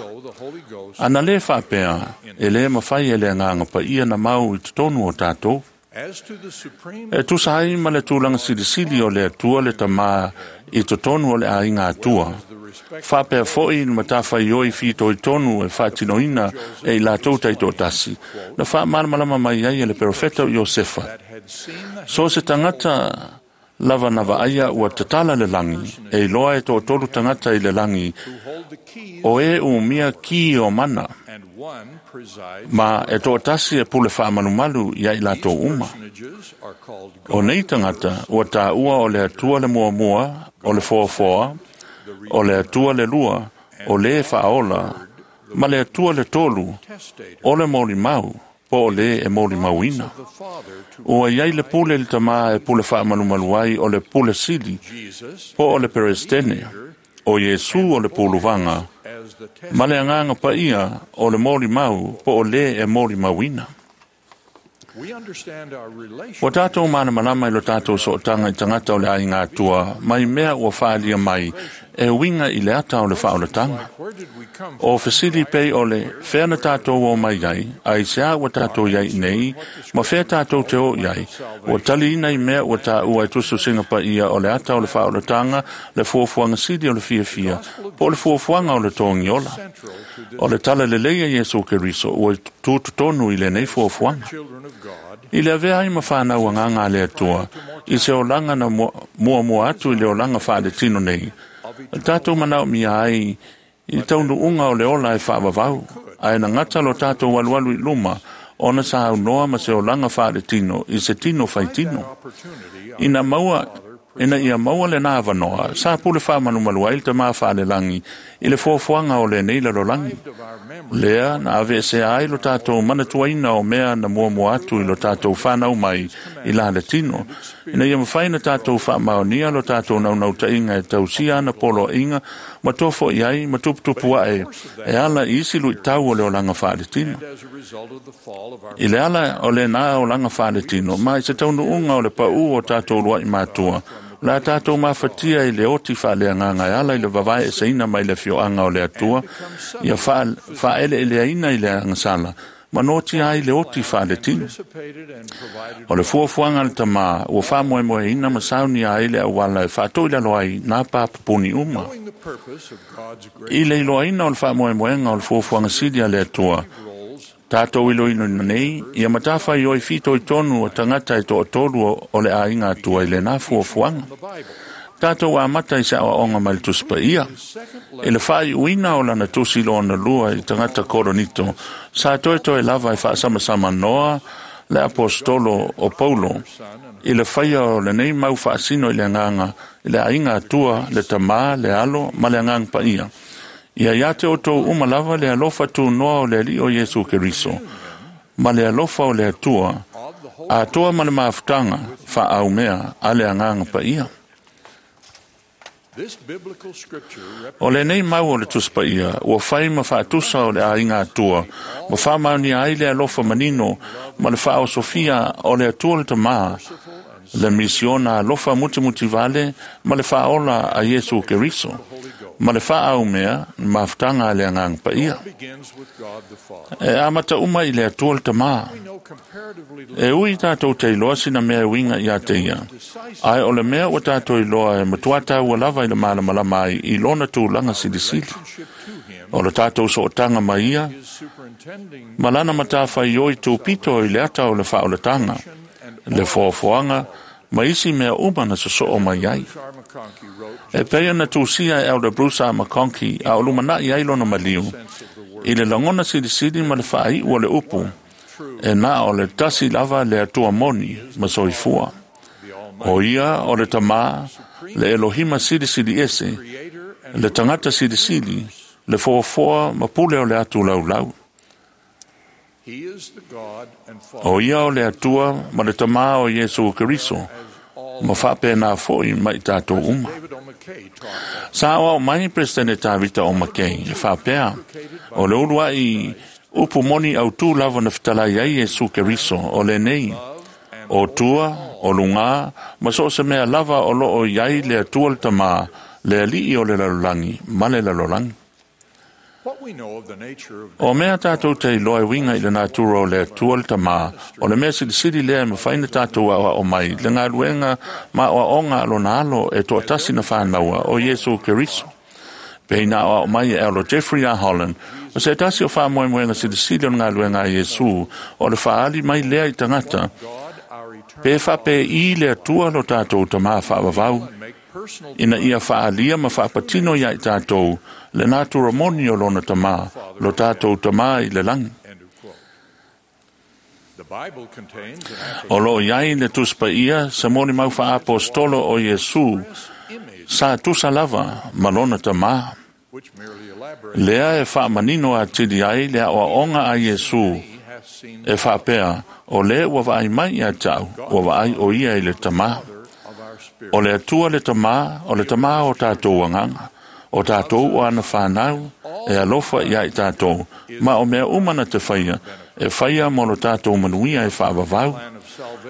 Ana lē faapea, e lē mafai e le agaga paia na mau i totonu o tatou. E tusa ai ma le tulaga silisili o le Atua le Tamā i totonu o le aiga Atua. Faapea foi le matafaioi fitoitonu e faatinoina e i latou taitoatasi, na faamalamalama mai ai e le perofeta o Iosefa. So se tagata lava na vaaia ua tatala le lagi, e iloa e toatolu tagata i le lagi, o e umia ki o mana, ma e toatasi e pule faamalumalu ia i latou uma. O nei tagata ua taua o le Atua le muamua, o le foafoa, o le Atua le lua, o lē faaola, ma le Atua le tolu, o le molimau, po o lē e molimauina. Ua iai le pule i le tamā e pule faamalumalu ai o le pule sili, po o le peresetene, o Iesu o le puluvaga, ma le agaga paia o le molimau po o lē e molimauina. Ua tatou malamalama i lo tatou sootaga i tagata o le aiga Atua mai mea ua faaalia mai e uiga i le ata o le faaolataga. O fesili pei o le fea na tatou o mai ai, aisea ua tatou iai nei, ma fea tatou te o i ai, ua taliina i mea ua taua e tusitusiga paia o le ata o le faaolataga, le fuafuaga sili o le fiafia, po o le fuafuaga o le togiola. O le tala lelei a Iesu Keriso ua tutotonu i lenei fuafuaga. I le avea ai ma whanau agaga a le Atua, i se olaga na muamua atu i le olaga faaletino nei, tatou manaomia ai i taunuuga o le ola e faavavau, ae na gata lo tatou alualu i luma, ona sa aunoa ma se olaga faaletino i se tino faitino. Ina maua ina ia maua lenā avanoa, sa pule faamalumalu ai le tamā faalelagi i le fuafuaga o lenei lalolagi. Lea na aveesea ai lo tatou manatuaina o mea na muamua atu i lo tatou whanau mai i la le tino. Ina ia mawhai na tatou faamaonia lo tatou naunautaiga e tausia ana poloaiga ma tofo i ai ma tuputupu ae e ala i isi luitau o le olaga faaletino. I le ala o lenā olaga faaletino, ma i se taunuuga o le paū o tatou luaʻi matua, la tatou mafatia i le oti faaleagaga e ala i le vavaeeseina mai le afioaga o le Atua, ia faaeleeleaina i le agasala, ma noatia ai le oti faaletino. O le fuafuaga a le tamā ua faamoemoeina ma saunia ai le auala e faatoilalo ai nā papupuni uma. I le iloaina o le faamoemoega o le fuafuaga sili a le Atua, tatou iloiloina nei, ia matafaioi fitoitonu o tagata e toatolu o le aiga Atua i lenā fuafuaga. Tatou amata i se aoaoga mai le Tusi Paia. I le faaiuina o lana tusi lona lua i tagata Koronito, sa toetoe lava e faasamasama noa le apostolo o Paulo i le faia o lenei mau faasino i le agaga i le aiga Atua, le Tamā, le Alo ma le Agaga Paia. Ia ia te outou uma lava le alofa tunoa o le Alii o Iesu Keriso, ma le alofa o le Atua, atoa ma le mafutaga faaaumea a le Agaga Paia. O lenei mau o le Tusi Paia, ua fai ma faatusa o le aiga Atua, ma faamaonia ai le alofa manino ma le faaosofia o le Atua le Tamā, le misiona alofa mutimutivale ma le faaola a Iesu Keriso, ma le faaaumea mafutaga a le Agaga Paia. E amata uma i le Atua le Tamā. E ui tatou te iloa sina mea e uiga ia te ia, ae o le mea ua tatou iloa e matua taua lava i le malamalama ai i lona tulaga silisili. O le tatou sootaga ma ia, ma lana matafaioi tupito i le ata o le faaolataga, le foafoaga, Ma isi mea uma na sosoo mai ai. E pei na tusia e Elder Bruce R. McConkie a o lumanai ai lona maliu. I le lagona silisili ma le faaiu o le upu, e na o le tasi lava le Atua moni ma soifua. O ia o le Tamā, le Elohima silisili ese, le tagata silisili, le foafoa ma pule o le atu laulau. O ia o le Atua ma le Tamā o Iesu Keriso, ma faapena fo'i ma i tatou uma. Sa aoao mai Peresetene Tavita o Makei e faapea, o le uluai upu moni autū lava na fetalai ai Iesu Keriso o lenei, o tua, o lugā, ma so o se mea lava o loo i ai le Atua le Tamā, le Alii o le lalolagi ma le lalolagi. O mea tatou te iloa e uiga i le natura o le Atua le Tamā, o le mea silisili lea e mafai ona tatou aoao mai le galuega ma aoaoga a lona Alo e toatasi na fanaua, o Iesu Keriso. Pei na aoao mai e Elder Jeffrey R. Holland, o se tasi o faamoemoega silisili o le galuega a Iesu, o le faaali mai lea i tagata, pe faapei le Atua lo tatou Tamā faavavau, ina ia faalia ma faapatino ia i tatou le natura moni o lona Tamā, lo tatou Tamā i le lagi. O loo i ai le Tusi Paia se molimau faaapostolo o Iesu sa tusa lava ma lona Tamā. Lea e faamanino atili ai le aoaoga a Iesu e faapea, o le ua vaai mai ia te au, ua vaai o ia i le Tamā. O le Atua le Tamā, o le Tamā o tatou agaga, o tatou o ana whanau, e alofa ia i tatou, ma o mea uma na te whaia, e whaia mo lo tatou manuia e whaavavau.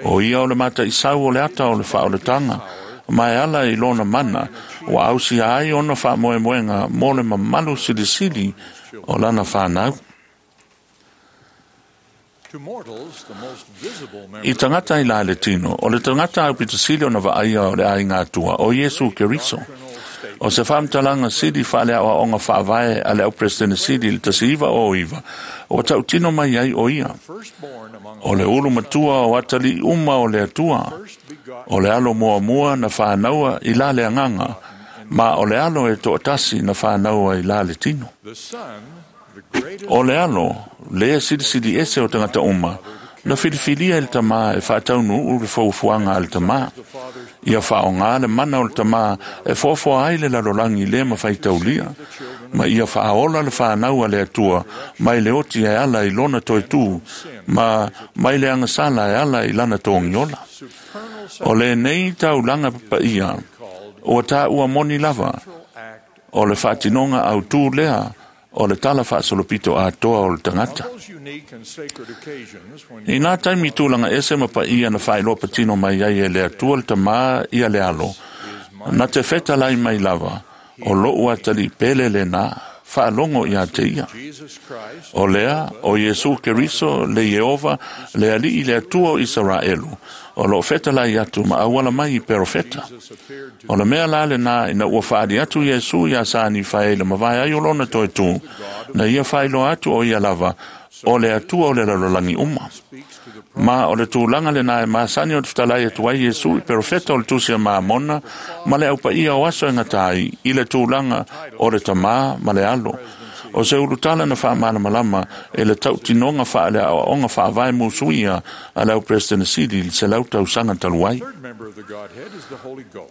O ia o le mata isau o le ata o le whaoletanga, ma e ala i lona mana, ua ausia ai ona whaamoemoenga mo le mamalu silisili o lana whanau. I tagata i la le tino, o le tagata aupito sili ona vaaia o le aiga Atua, o Iesu Keriso. O se faamatalaga sili faaleaoaoga faavae a le au Peresetene sili i le 1909, ua tautino mai ai o ia. O le ulu matua o atalii uma o le Atua, o le alo muamua na fanaua i la le agaga, ma o le alo e toatasi na fanaua i la le tino. O le alo, le silisili ese o tagata uma, na filifilia e le Tamā e faataunuu le fuafuaga a le Tamā. Ia faaogā le mana o le Tamā e foafoa ai le lalolagi le mafaitaulia, ma ia faaola le fanau a le Atua mai le oti e ala i lona toetū, ma mai le agasala e ala i lana togiola. O lenei taulaga papaia, ua taua moni lava, o le faatinoga autū lea, o le tala faasolopito atoa o le tagata. I nā taimi tulaga ese ma paia na faailoa patino mai ai e le Atua le Tamā ia le Alo, na te fetalai mai lava, o lou atalii pele lenā, faalogo ia te ia. O lea, o Iesu Keriso, le Ieova, le Alii le Atua o Isaraelu, o loo fetalai atu ma auala mai i perofeta. O le mea la lenā ina ua faaali atu Iesu iā Sa Nifae i le mavae ai o lona toetū, na ia faailoa atu o ia lava, o le Atua o le lalolagi uma. Ma o le tulaga lenā e masani o te fetalai atu ai Iesu i perofeta o le Tusi a Mamona ma le aupaia o aso e gata ai i le tulaga o le Tamā ma le Alo. O se ulutala na faamalamalama e le tautinoga faaleaoaoga faavae musuia a le au Peresetene sili i le 100 tausaga talu ai.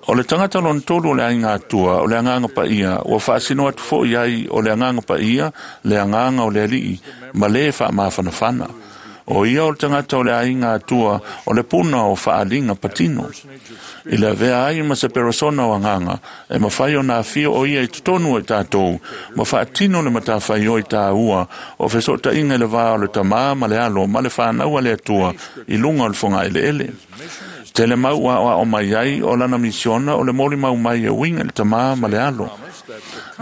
O le tagata lona tolu o le aiga Atua, o le Agaga Paia, ua faasino atu fo'i ai o le Agaga Paia, le Agaga o le Alii, ma le faamafanafana. O ia o le tagata o le aiga Atua, o le puna o faaaliga patino. I le avea ai ma se perosona o agaga, e mafai ona afio o ia i totonu o i tatou, ma faatino le matafaioi taua o fesootaiga i le va o le Tamā ma le Alo ma le fanau a le Atua i luga o le fogaeleele. Tele mau ua aoao mai ai o lana misiona o le molimau mai e uiga i le Tamā ma le Alo.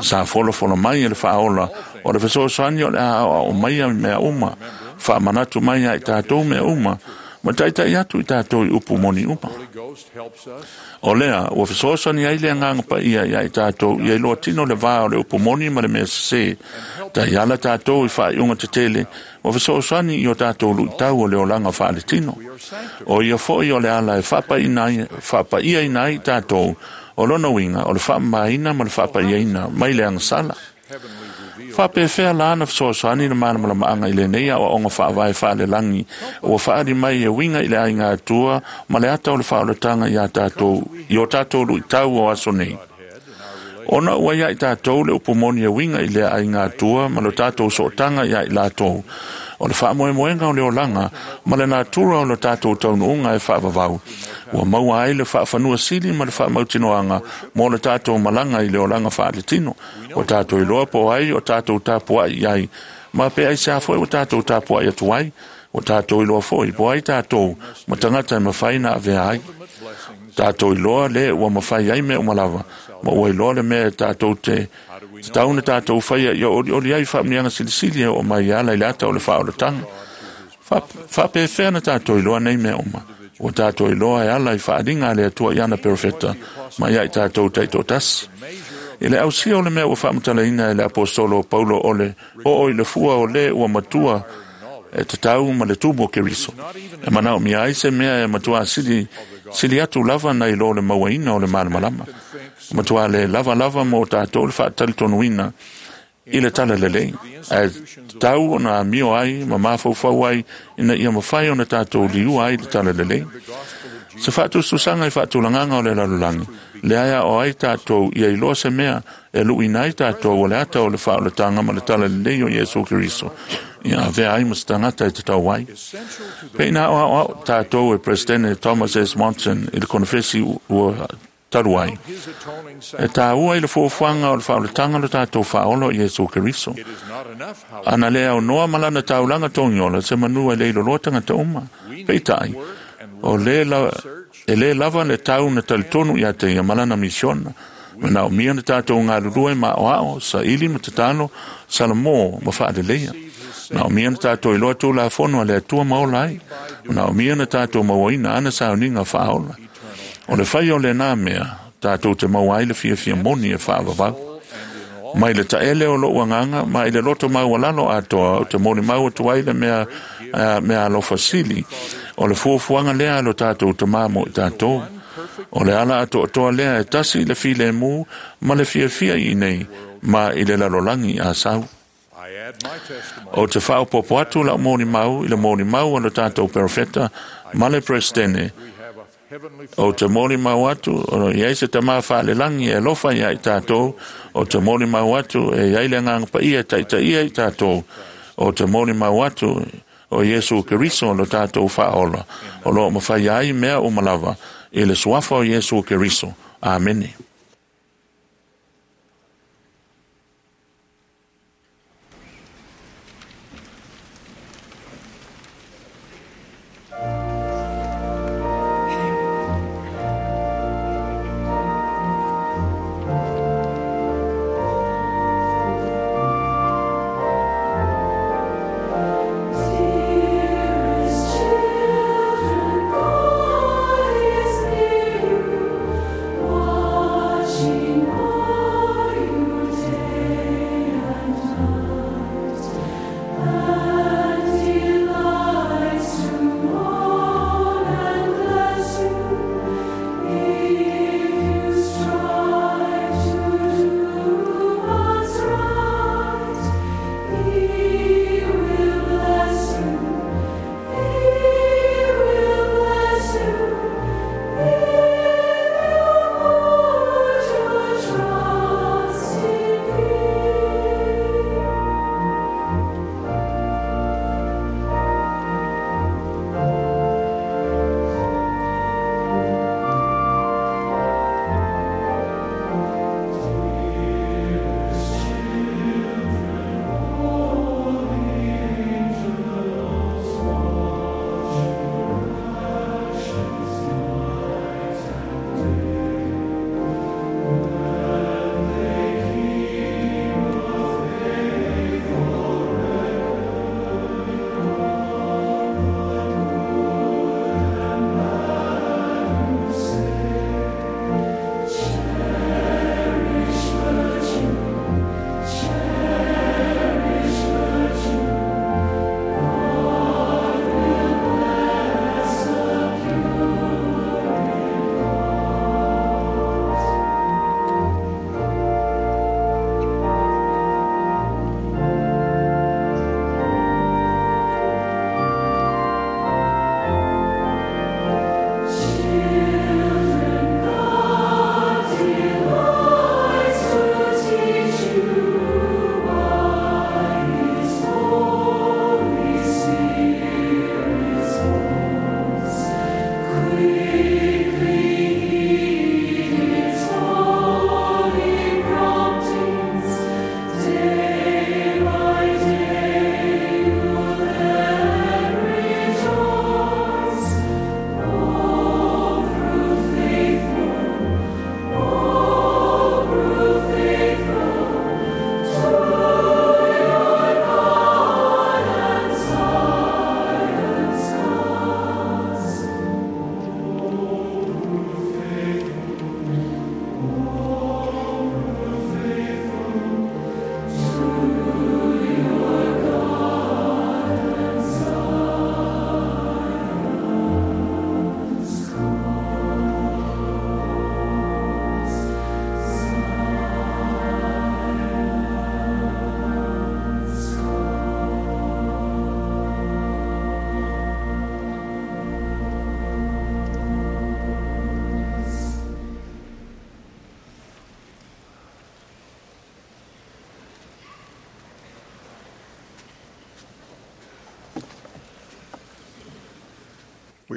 Sa folafola mai e le Faaola o le fesoasoani o le a aoao mai mea uma, faamanatu mai ia i tatou mea uma, Ma taita'i atu i tatou i upu moni uma. O lea, ua fesoasoani ai le agaga paia iā i tatou ia iloa tino le vā o le upu moni ma le mea sesē. Taiala tatou i faaiuga tetele, ua fesoasoani i o tatou luʻitau o le olaga faaletino. O ia foʻi o le ala e faapaia ai tatou o lona uiga o le faamamaina ma le faapaiaina mai le agasala. Faapefea la na fesoasoani le malamalamaaga i lenei aoaoga faavae faalelagi ua faaali mai e uiga i le aiga Atua ma le ata o le faaolataga iā tatou i o tatou luʻitau o aso nei. Ona ua iā i tatou le upu moni e uiga i lea aiga Atua ma lo tatou sootaga iā i latou, o le faamoemoega o le olaga ma le natura o lo tatou taunuuga e faavavau, ua maua ai le faafanua sili ma le faamautinoaga mo le tatou malaga i le olaga faaletino. Ua tatou iloa po o ai o tatou tapuaʻi i ai, ma pe aisea foi ua tatou tapuaʻi atu ai. Ua tatou iloa foi po o ai tatou ma tagata e mafai na avea ai. Tatou iloa le ua mafai ai mea uma lava, ma ua iloa le mea e tatou te tatau na tatou faia ia olioli ai faamanuiaga silisili e oo mai e ala i le ata o le faaolataga. Faapefea na tatou iloa nei mea uma? Ua tatou iloa e ala i faaaliga a le Atua i ana perofeta ma ia i tatou taitoatasi. I le ausia o le mea ua faamatalaina e le aposetolo o Paulo o le oo i le fua o lē ua matua e tatau ma le tumu o Keriso, e manaomia ai se mea e matuā sili, sili atu lava nai lo le mauaina o le malamalama. E matuā le lava lava mo tatou le faatalitonuina i le talalelei, ae tatau ona amio ai ma mafaufau ai ina ia mafai ona tatou liua ai le talalelei. Se faatusatusaga i faatulagaga o le lalolagi, lea e aoa ai tatou ia iloa se mea e luʻuina ai tatou o le ata o le faaolataga ma le talalelei o Iesu Keriso, ia avea ai ma se tagata e tatau ai. Pe ina aoaoa tatou e Peresetene Thomas S. Monson i le konefesi ua talu ai, e tāua i le fuafuaga o le faaolataga lo tatou faaola o Iesu Keriso. Ana le aunoa ma lana taulaga togiola se manu e le iloloa tagata uma. Peitai, o le la, e lē lava le tau na talitonu iā te ia ma lana misiona. Manaomia na tatou galulue ma aoao, saili ma tatalo, salamō ma faaleleia. Manaomia na tatou iloa tulafono a le Atua ma ola ai. Manaomia na tatou mauaina ana sauniga faaola. O le fai o lenā mea, tatou te maua ai le fiafia moni e faavavau. Mai le taele o loʻu agaga ma i le loto maualalo atoa ou te molimau atu ai le mea, mea alofa sili o le fuafuaga lea a lo tatou Tamā mo i tatou. O le ala atoatoa lea e tasi i le filemu ma le fiafia i inei ma i le lalolagi a sau. Ou te faaopoopo atu lau molimau i le molimau a lo tatou perofeta ma le Peresetene. Ou te molimau atu o lo o i ai se Tamā faalelagi e alofa iā i tatou. Ou te molimau atu e i ai le Agaga Paia e taitaia i tatou. Ou te molimau atu o Iesu Keriso lo tatou faaola, o lo o mafai ai mea uma lava i le suafa o Iesu Keriso. Amene. Dearest children, God is near you.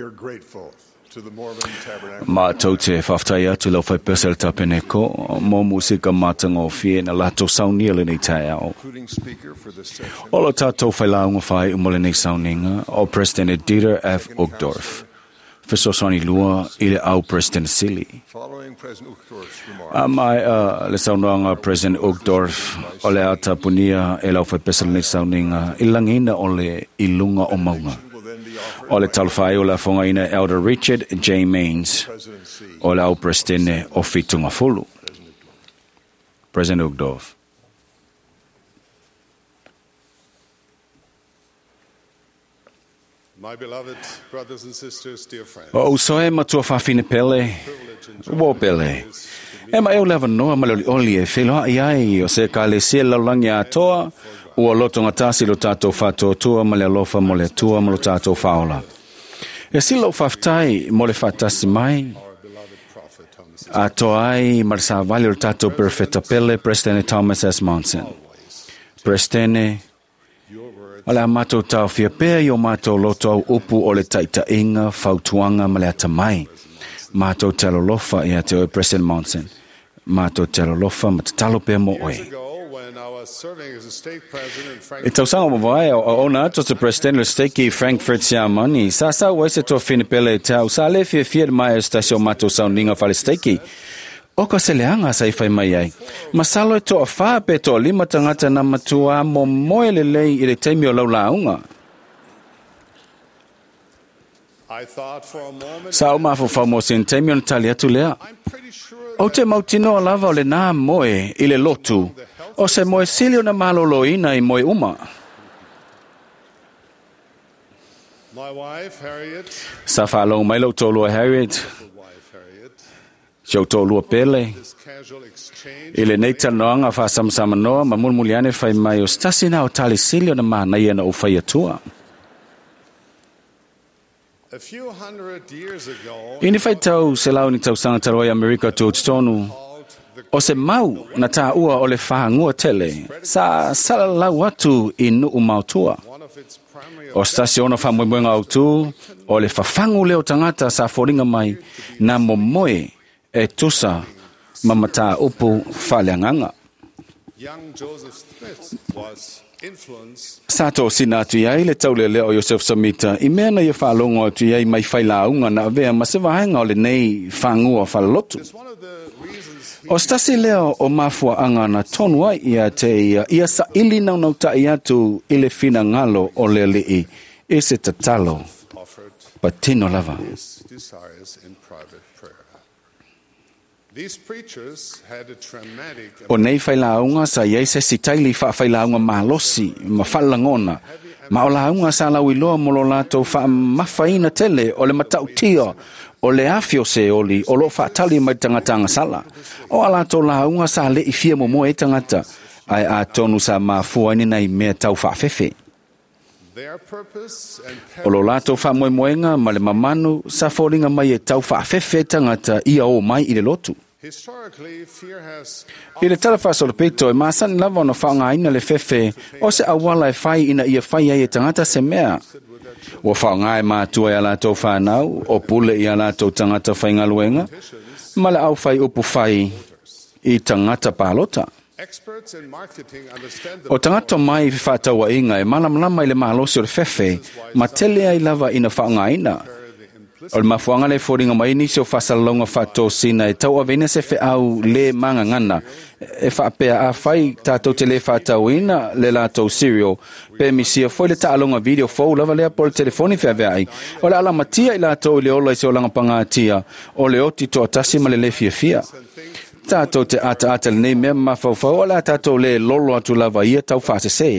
We are grateful to the Mormon Tabernacle. Mātou te whawhtai atu lau whai pesa le tapeneko, mō musika mātanga o fie na lato saunia le nei taeao. Concluding speaker for this session, O lo tātou whailaunga whai umo le nei sauninga o President Dieter F. Uchtdorf. Fesosani lua i le au President Sili. following President Uchtdorf's remarks, A mai le saunoanga President Uchtdorf o le atapunia e lau whai pesa le nei sauninga i langina o le ilunga o maunga. will then be offered O le talwhai o le afonga ina Elder Richard J. Maines President C. o le au Presidente o Fitunga Fulu. President Uchtdorf. My beloved brothers and sisters, dear friends, O usoe matua whawhine pele, wo pele. E ma e o lewa noa ma le oli oli e whiloa i ai o se ka le sia laulangi a toa, ua loto ngā lo tātou whātoa ma le alofa mo le tua ma lo tātou whaola. E sila o whawhtai mo le whatasi mai, a toa ai ma le sāwali o le tātou perfeta pele, President Thomas S. Monson. President, o le a mātou tau whiapea i o mātou loto au upu o le taitainga, fautuanga ma le atamai. Mātou te alolofa i a te oe President Monson. Mātou te alolofa ma te talo pea mo oe. ago, when I was serving as a state president in E Frankfurt, tausaga mavae o ona atu se President le steki Frankfurt Siamani. Sa sa ua se toa whinipele e tau. Sa le fia fia mai o stasio mātou sauninga whale steki. O ka se leanga sa i whai mai ai. Masalo e toa wha pe toa lima tangata na matua mo moe le lei i le teimi o laulaunga. I thought for a moment, Sa o mafo mo sin teimi o na tali atu lea. O te mautinoa lava o le nā moe i le lotu. O se moe sili o na maloloina i moe uma. my wife, Harriet, Sa whaalongo mai lau tōlua Harriet. wife, Harriet, Si au tōlua pele. this casual exchange I le nei tanoanga whaasamasamanoa noa ma mulmuli ane whai mai o stasi na o tali sili o na mānaia na o whai atua. a few hundred years ago, Ini whai tau se lau ni tau sanga taroi Amerika tō tonu. O se mau na tā ua o le whahangua tele. Sa salalau atu i nuu mautua. one of its primary O stasi ona whamoemoenga au tū, o le whawhangu leo tangata sa foringa mai, nā momoe e tusa mamata upu whaleanganga. young Joseph Smith was influenced Sa tō sina atu iai le taule leo o Joseph Samita, i mea na ia whaalongo atu iai mai whailaunga na avea ma se vahenga o le nei whangua whalalotu. One of the reasons O stasi leo o mafua anga na tonu ai ia te ia, ia sa ili nau nau tai atu i le whina ngalo o le lii, e se tatalo, offered patino lava. his desires in private prayer. These preachers had a traumatic O nei whailaunga sa iai se sitaili wha whailaunga malosi, ma whalangona. Ma o launga sa lau iloa mo lo lātou wha mawhaina tele o le matautia o le awhio se oli o lo whaatali mai tangata sala. O a lātou launga sa le i fia mo e tangata ai a tonu sa mafua ni nei mea tau whaafefe. Their purpose and O lo lātou whamoemoenga ma le mamanu sa fōringa mai e tau whaafefe tangata ia o mai i le lotu. historically fear has I le tala whaasolo pito e māsani lava ona whaongaina le fefe o se awala e whai ina ia whai ai e tangata se mea. Ua whaongai mātua i a lātou whānau, o pule i a lātou tangata whaingaluenga, ma le au whai upu whai i tangata pālota. experts in marketing understand the O tangata mai i whātaua inga e malamlama i le mālosi o le fefe, ma tele ai lava ina whaongaina. O le mafuanga le fōringa mai nisi o whasalonga whātōsina e tau avena se wheau le mangangana. E whaapea a whai tātou te le whātauina le lātou cereal. Pe misia foi le taalonga video fou lava lea po le telefoni wheawea ai. O le alamatia i lātou i le ola i se olanga pangatia. O le oti toa tasi ma le le fiafia. Tātou te ata ata le nei mea mawhauwhau o la tātou le lolo atu lava ia tau whaasese.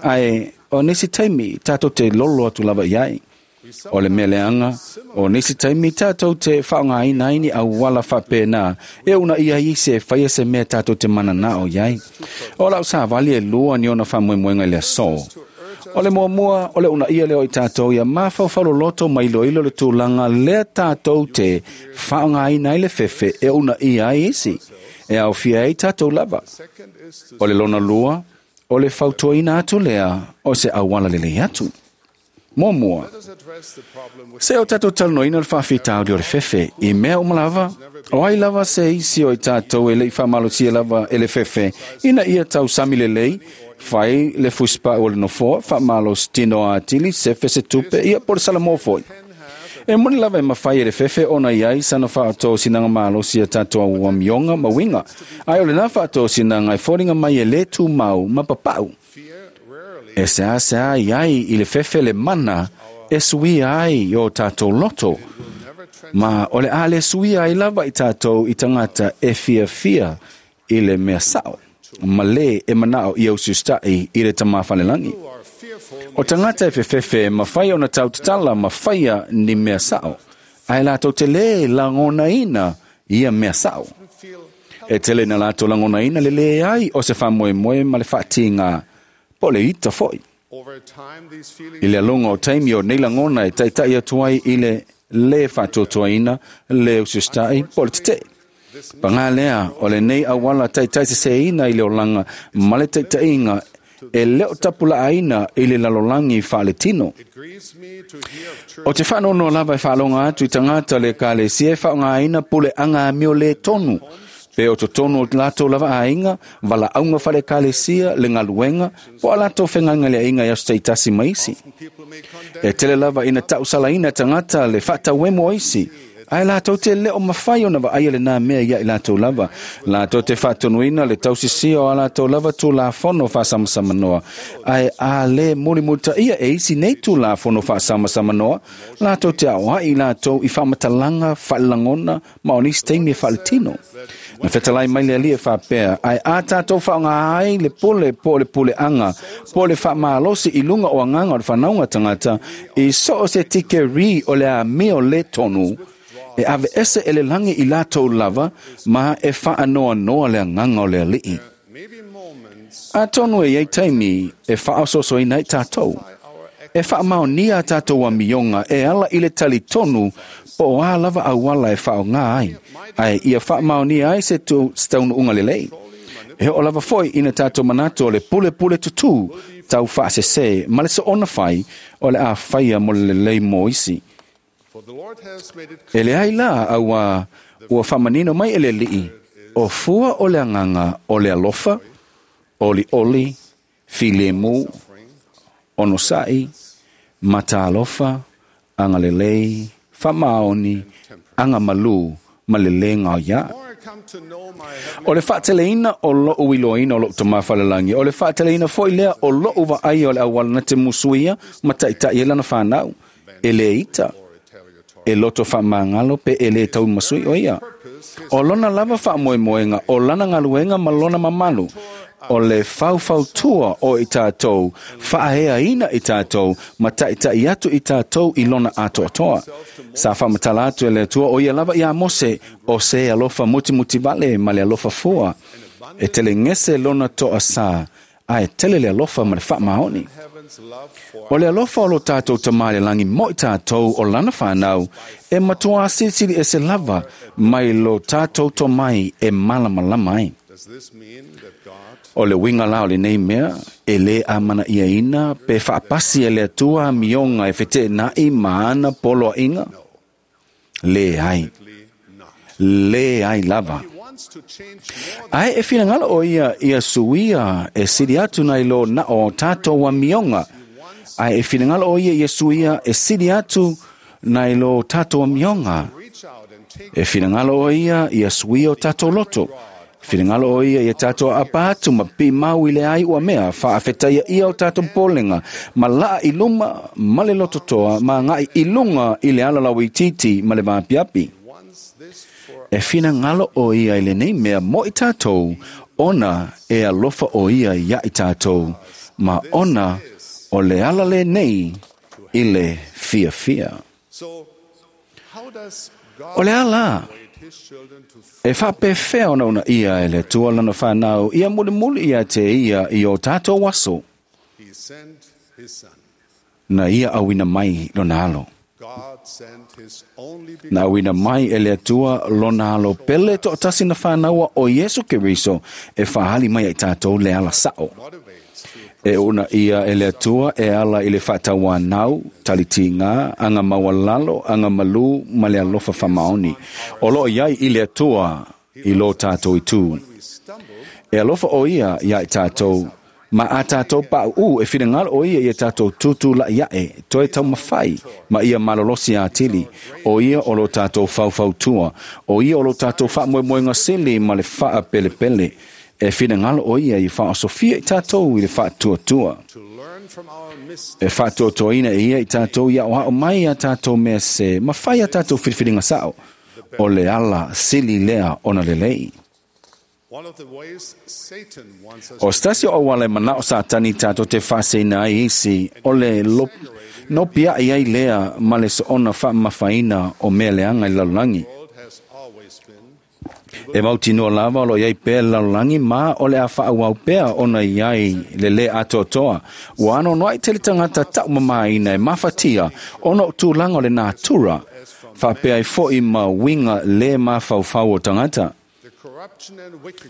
Ai, o nisi taimi tātou te lolo atu lava iai. O le mea leanga, o nisi taimi tātou te whaongaina ini au wala whapēnā, e una ia i se whaia se mea tātou te mana nā o iai. O lau sa vali e lua ni ona whamoemoenga i le sō. O le mua mua, o le una ia leo i tātou ia mawhauwhalo loto mai loilo le tūlanga lea tātou te whaongaina i le fefe e una ia ai isi. E au fia ai tātou lava. O le lona lua, o le fautuaina atu lea, o se awala lele atu. Muamua, se o tātou talanoina o le faafitauli o le fefe i mea uma lava, o ai lava se isi o i tātou e le'i faamalosia lava e le fefe, ina ia tausami lelei, fai le fusipa'u o le nofoa, faamalositino atili, sefe se tupe, ia po o le salamoa fo'i. E moni lava e mafai e le fefe ona i ai sana faatosinaga malosi ia tatou amioga ma uiga, ae o lenā faatosinaga e foliga mai e lē tumau ma papa'u. E seāseā i ai i le fefe le mana e suia ai o tātou loto, ma o le a le suia ai lava i tātou i tagata e fiafia i le mea sa'o, ma lē e mana'o ia usiusita'i i le Tamā falelagi. O tagata e fefefe e mafai ona tautatala ma faia ni mea sa'o, ae latou te lē lagonaina ia mea sa'o. E tele na latou lagonaina le leai o se faamoemoe ma le faatigā po o le ita fo'i. I le aloga o taimi o nei lagona e taita'i atu ai i le lē faatuatuaina, lē usiusita'i po o le tete'e. Pagā lea o lenei auala taitaisesēina i le olaga ma le taita'iga e le o tapulaaina i le lalolagi faaletino. O te faanoanoa lava e faaloga atu i tagata o le Ekalesia e faaaogaina puleaga amio lē tonu, pe o totonu o latou lava aiga, valaauga faale-Ekalesia, le galuega, po o a latou fegalegaleaiga i aso taitasi ma isi. E tele lava ina tausalaina e tagata le faatauemu o isi, ae latou te le o mafai ona vaaia lenā mea ia i latou lava. Latou te faatonuina le tausisia o a latou lava tulafono faasamasamanoa, ae a lē mulimulitaia e isi nei tulafono faasamasamanoa, latou te aoa'i i latou i faamatalaga faalelagona ma o nisi taimi e faaletino. Na fetalai mai le Alii e faapea, ae a tātou faaaoga ai le pule po o le puleaga po o le faamalosi i luga o agaga o le fanauga tagata i so o se tikeri o le amio lē tonu, e aveese e le lagi i latou lava ma e faanoanoa le agaga o le Alii. Atonu e i ai taimi e faaosoosoina ai tātou, e faamaonia a tātou amioga e ala i le talitonu po o a lava auala e faaaoga ai, ae ia faamaonia ai se taunuuga lelei. E oo lava fo'i ina tātou manatu o le pulepule tutū tau faasesē ma le soona fai o le a faia mo le lelei mo isi. E leai la, auā ua faamanino mai e le Alii, o fua o le agaga o le alofa, olioli, filemu, onosa'i, mataalofa, agalelei, faamaoni, agamalū ma le lē gaoiā. O le faateleina o lo'u iloaina o lo'u Tamā falelagi, o le faateleina fo'i lea o lo'u vaaia o le auala na te musuia ma taita'i ai lana fanau, e lē ita, e loto faamagalo pe e lē taumasui o ia. O lona lava faamoemoega, o lana galuega ma lona mamalu, o le faufautua o i tātou, faaeaina i tātou, ma taita'i atu i tātou i lona atoatoa. Sa faamatala atu e le Atua o ia lava iā Mose, o se alofa mutimutivale ma le alofa fua, e telegese lona toasā, ae tele le alofa ma le faamaoni. O le alofa o lo tātou Tamā i le lagi mo i tātou o lana fanau, e matuā silisili ese lava mai lo tātou tomai e malamalama ai. O le uiga la o lenei mea, e lē amana'iaina pe faapasi e le Atua amioga e feteena'i ma ana poloa'iga? Leai. Leai lava. Ae e finagalo o ia ia suia e sili atu nai lo na o tātou amioga. Ae e finagalo o ia ia suia e sili atu nai lo tātou amioga. E finagalo o ia ia suia o tātou loto. Finagalo o ia ia tātou aapa atu ma pimau i le ai ua mea faafetaia ia o tātou polenga ma laa i luma ma le loto toa ma ngai i lunga i le ala lauitiiti ma le vaapiapi. E finagalo o ia i lenei mea mo i tātou, ona e alofa o ia ia i tātou, ma ona o le ala lenei i le fiafia. O le ala e faapefea ona uunaia e le Atua lana fanau ia mulimuli ia te ia i o tātou aso, na ia auina mai lona alo. Na auina mai e le Atua lona alo pele to'atasi na fanaua o Iesu Keriso e faaali mai ai tātou le ala sa'o. E una ia e le Atua e ala i le faatauanau, talitiga, aga maualalo, aga malū ma le alofa faamaoni. O loo i ai i le Atua i lo tātou itu. E alofa o ia ia i tātou, ma a tātou pa'u'ū e finagalo o ia ia tātou tūtūla'i a'e, toe taumafai, ma ia malolosi atili. O ia o lo tātou faufautua, o ia o lo tātou faamoemoega sili ma le faapelepele. E finagalo o ia i faaosofia i tātou i le faatuatua. E faatuatuaina e ia i tātou ia o mai a tātou mea se, ma fai a tātou filifiliga sa'o. O le ala sili lea ona lelei. O se tasi o auala e mana'o Satani tatou te faaseina ai isi, o le nopia'i ai lea ma le soona faamamafaina o mea leaga i le lalolagi. E mautinoa lava o lo o i ai pea le lalolagi ma o le a faaauau pea ona i ai le lē atoatoa. Ua anoanoa'i tele tagata ta'umamāina e mafatia ona o tulaga o le natura, faapea ai fo'i ma uiga lē mafaufau o tagata.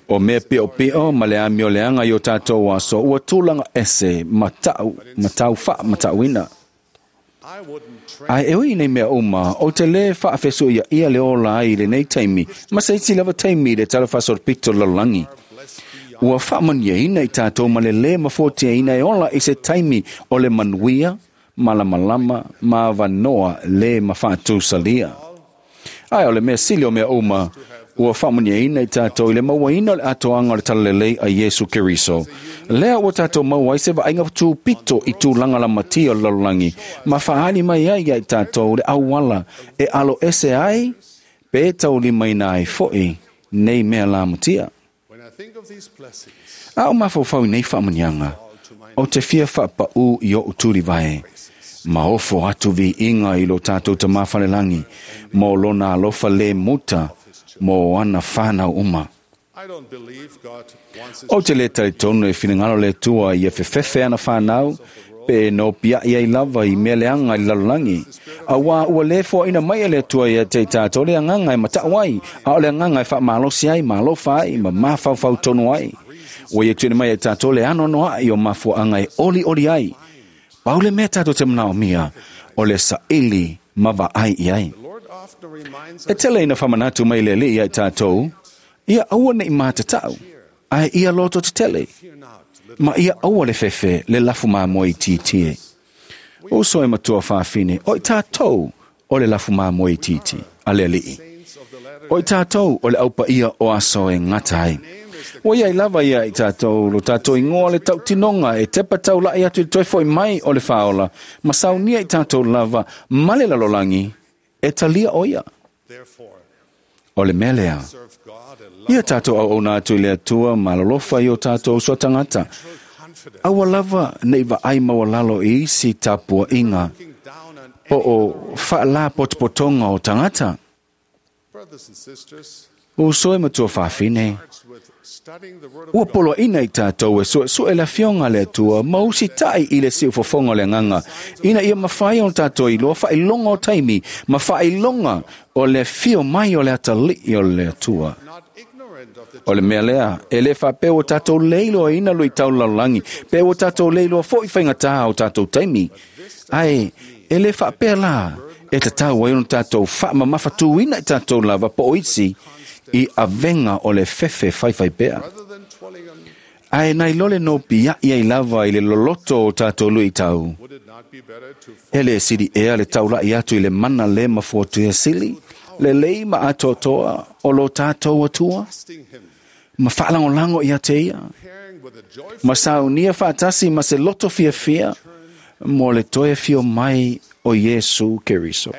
O mea pi'opi'o ma le amio leaga i o tatou aso ua tulaga ese ma ta'u ma tau faamata'uina. Ae e ui i nei mea uma, ou te lē faafesu'iaʻia le ola ai i lenei taimi, ma se isi lava taimi i le tala faasolopito o le lalolagi. Ua faamanuiaina i tatou ma le lē mafuatiaina e ola i se taimi o le manuia, malamalama ma avanoa lē mafaatusalia. Ae o le mea sili o mea uma, ua faamanuiaina i tatou i le mauaina o le atoaga o le talalelei a Iesu Keriso. Lea ua tatou maua ai se vaaiga tupito i tulaga lamatia o le lalolagi, ma faaali mai ai ia i tatou le auala e alo ese ai pe taulimaina ai fo'i nei mea lamatia. A o mafaufau i nei faamanuiaga, ou te fia faapaʻū i oʻu tulivae, ma ofo atu viiga i lo tatou Tamā Falelagi mo lona alofa lē muta mo ana whānau uma. Ou te lē talitonu e finagalo le Atua ia fefefe ana whānau, pe no pia'i ai lava i mea leaga i le lalolagi. Auā ua lē foaʻina mai e le Atua ia te i tātou le agaga e mataʻu ai, a o le agaga e faamalosi ai, ma alofa ai, ma mafaufau tonu ai. Ua ia tuuina mai e tātou le anoanoaʻi o mafuaaga e olioli ai. Pau le mea tatou te manaomia, o le saili ma vaai i ai. E tele ina faamanatu mai le Alii ia i tātou, ia aua neʻi matatau, ae ia loto tetele, ma ia aua le fefe le lafu mamoe itiiti e. Uso e matua fafine, o i tātou o le lafu mamoe itiiti a le Alii. O i tātou o le aupaia o aso e gata ai. Ua iai lava ia i tātou lo tātou ingoa le tautinoga e tepa taula'i atu i le toe fo'i mai o le Faaola, ma saunia i tātou lava ma le lalolagi e talia o ia. O le mea lea, ia tātou auauna atu i le Atua ma alolofa i o tātou uso a tagata. Aua lava neʻi vaai maualalo i isi tapuaʻiga po o faalapotopotoga o tagata. Uso e matua fafine, ua poloaʻina i tātou e suʻesuʻe le afioga a le Atua ma usitaʻi i le siufofoga o le agaga, ina ia mafai ona tatou iloa faailoga o taimi ma faailoga o le afio mai o le atalii o le Atua. O le mea lea, e lē faapea ua tatou le iloaina luitau lalolagi, pe ua tatou le iloa foʻi faigatā o tatou taimi. Ae, e lē faapea lā e tatau ai ona tatou faamamafatuina i tatou lava po o isi i avega o le fefe faifai pea. Ae nai lo le nopiaʻi ai lava i le loloto o tatou luitau, e lē sili ea le taulaʻi atu i le mana lē mafuatua sili, lelei ma atoatoa o lo tatou Atua, ma faalagolago ia te ia, ma saunia faatasi ma se loto fiafia mo le toe afio mai o Iesu Keriso.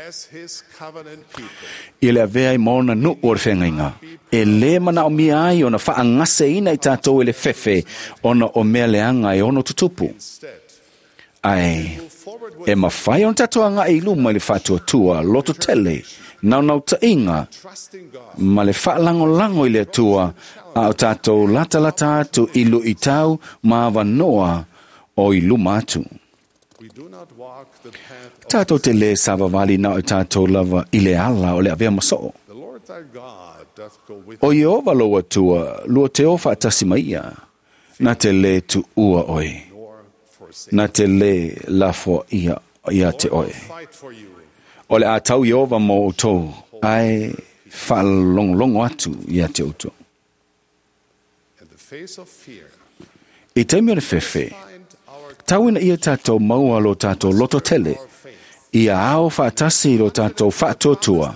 I le avea ai ma ona nuʻu o le feagaiga, e lē manaomia ai ona faagaseina i tatou e le fefe ona o mea leaga e ono tutupu. Ae e mafai ona tatou agaʻi i luma i le faatuatua, loto tele, naunautaʻiga ma le faalagolago i le Atua, a o tatou latalata atu i luʻitau ma avanoa o i luma atu. Tatou te lē savavali na o i tatou lava i le ala o le avea ma soo. O Ieova lou Atua, lua te o faatasi ma ia, na te lē tuua oe, Na te lē lafoaʻia ia te oe. O le a tau Ieova mo outou, ae faalogologo atu ia te outou. I taimi o le fefe, tau ina ia tatou maua lo tatou loto tele, ia ao faatasi i lo tatou faatuatua,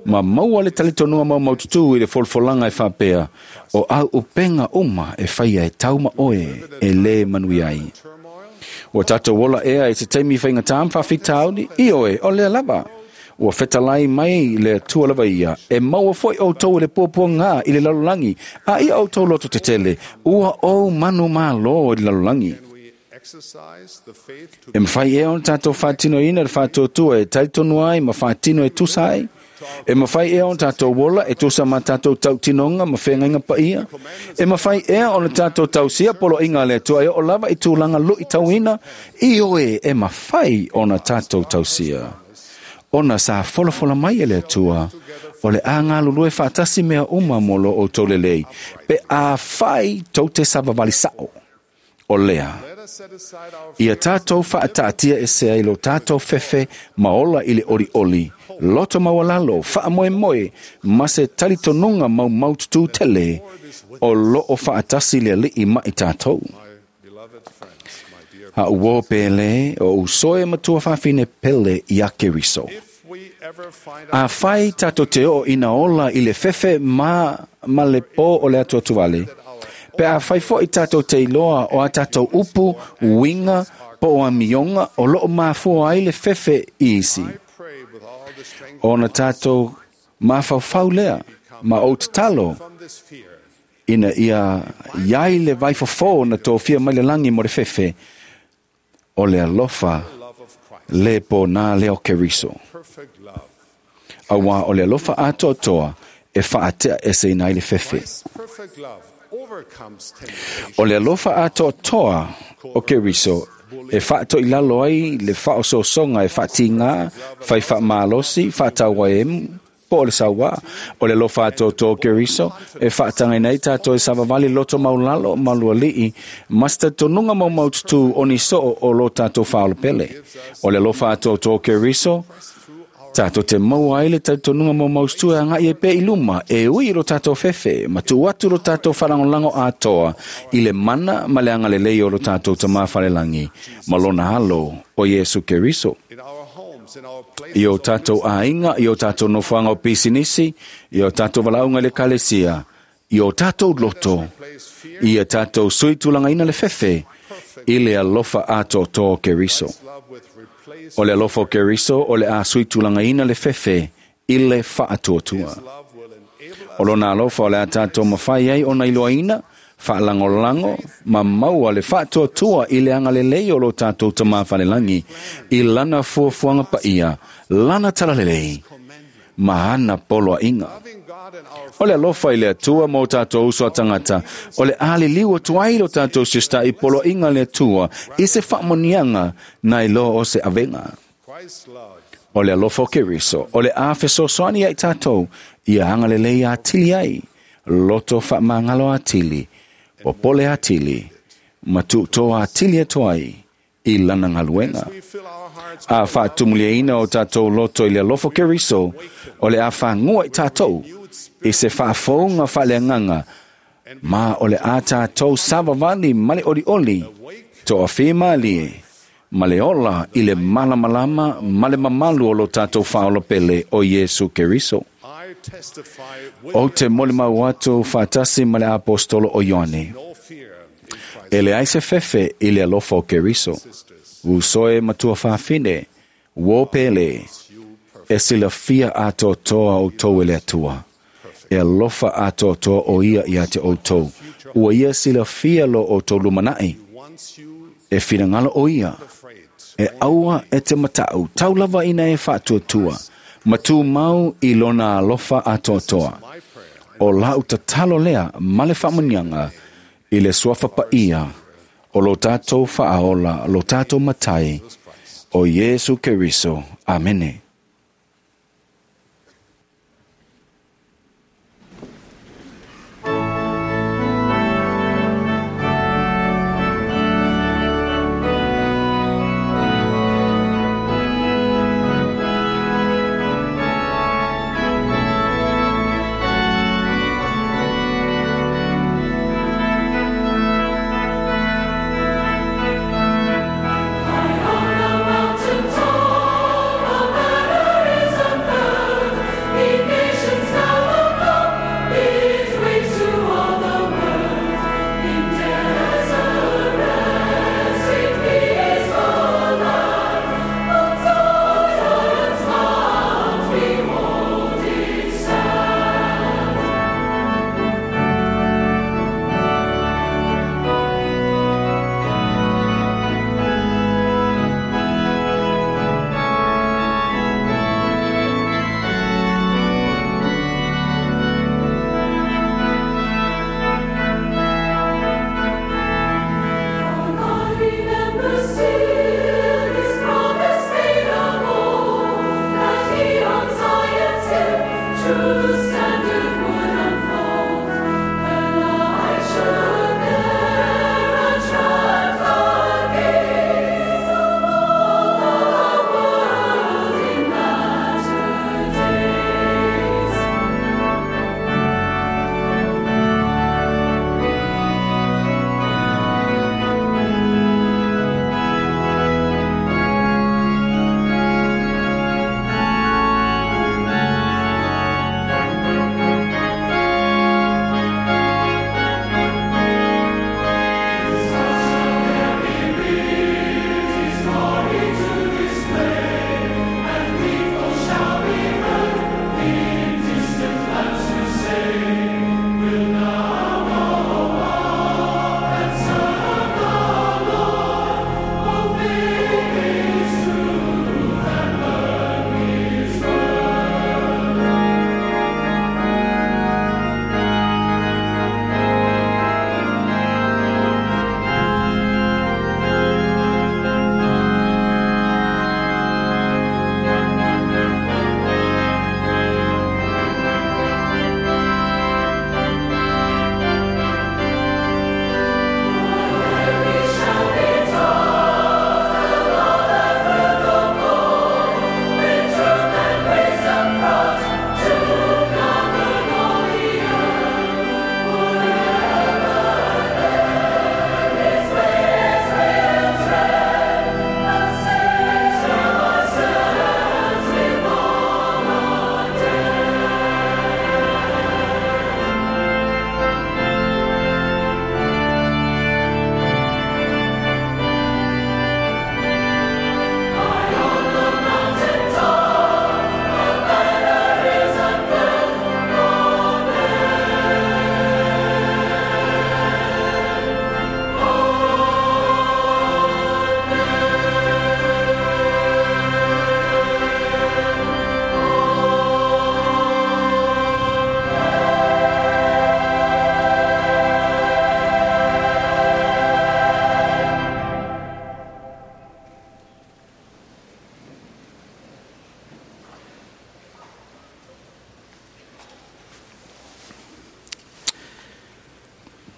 ma maua le talitonuga maumaututu i le folafolaga e faapea, o au upega uma e faia e tau ma oe e lē manuia ai. Ua tatou ola ea i se taimi faigatā ma faafitauli, ioe, o lea lava. Ua fetalai mai le Atua lava ia, e maua foi outou i le puapuagā i le lalolagi, a ia outou loto tetele, ua ou manumālō i le lalolagi. E mafai ea ona tatou faatinoina le faatuatua e talitonu ai ma faatino e tusa ai? E mafai ea ona tatou ola e tusa ma tatou tautinoga ma feagaiga paia? E mafai ea ona tatou tausia poloaiga a le Atua e oo lava i tulaga luitauina? Ioe, e mafai ona tatou tausia. Ona sa folafola mai e le Atua, o le a galulue faatasi mea uma mo lo outou lelei, pe afai tou te savavali sao. O lea, ia tatou faataatia ese ai lo tatou fefe ma ola i le olioli, loto maualalo, faamoemoe, ma se talitonuga maumaututu tele, o loo faatasi le Alii ma i tatou. A uō pele, o usoe matua faafine pele ia Keriso. Afai tatou te oo ina ola i le fefe ma le pō o le atuatuvale, pe afai foi tatou te iloa o a tatou upu, uiga, po o amioga o loo mafua ai le fefe i isi, ona tatou mafaufau lea ma ou tatalo ina ia iai le vaifofo na tofia mai le lagi mo le fefe, o le alofa le pōnā lea o Keriso. Auā o le alofa atoatoa e faatea eseina ai le fefe. O le alofa atoatoa o Keriso e faatoilalo ai le faaosoosoga e faatigā, fai faamalosi, faatauaemu, po o le sauā. O le alofa atoatoa o Keriso e faatagaina ai tatou e savavali loto maulalo ma lualii, ma se talitonuga maumaututu o ni soo o lo tatou faaolopele. O le alofa atoatoa o Keriso tatou te maua ai le talitonuga maumaututu e agai ai pea i luma, e ui i lo tatou fefe, ma tuu atu lo tatou faalagolago atoa i le mana ma le agalelei o lo tatou Tamā Falelagi, ma lona alo o Iesu Keriso. I o tatou aiga, i o tatou nofoaga o pisinisi, i o tatou valaauga i le ekalesia, i o tatou loto, ia tatou sui tulagaina le fefe i le alofa atoatoa o Keriso. O le alofa o Keriso o le a sui tulagaina le fefe i le faatuatua. O lona alofa o le a tatou mafai ai ona iloaina, faalagolago ma maua le faatuatua i le agalelei o lo tatou Tamā Falelagi, i lana fuafuaga paia, lana talalelei, ma ana poloaiga. O le alofa i le Atua ma o tatou uso a tagata, o le a liliu atu ai lo tatou siositaʻi i poloaiga a le Atua i se faamoniaga na iloa o se avega. O le alofa o Keriso, o le a fesoasoani ai tatou ia agalelei atili ai, loto faamagalo atili, popole atili, ma tuutoa atili atu ai i lana galuega. A faatumuliaina o tatou loto i le alofa o Keriso, o le a fagua i tatou i se faafouga faaleagaga, ma o le a tatou savavali ma le olioli, toafia malie, ma le ola i le malamalama ma le mamalu o lo tatou faaolopele o Iesu Keriso. Ou te molimau atu faatasi ma le apostolo o Ioane, e leai se fefe i le alofa o Keriso. Usoe matua faafine, uō pele, e silafia atoatoa outou e le Atua. E alofa atoatoa o ia ia te outou. Ua ia silafia lo outou lumanai. E finagalo o ia, e aua e te mataʻu, tau lava ina e faatuatua, ma tumau i lona alofa atoatoa. O lau tatalo lea ma le faamuniaga i le suafa paia o lo tatou faaola, lo tatou Matai, o Iesu Keriso. Amene.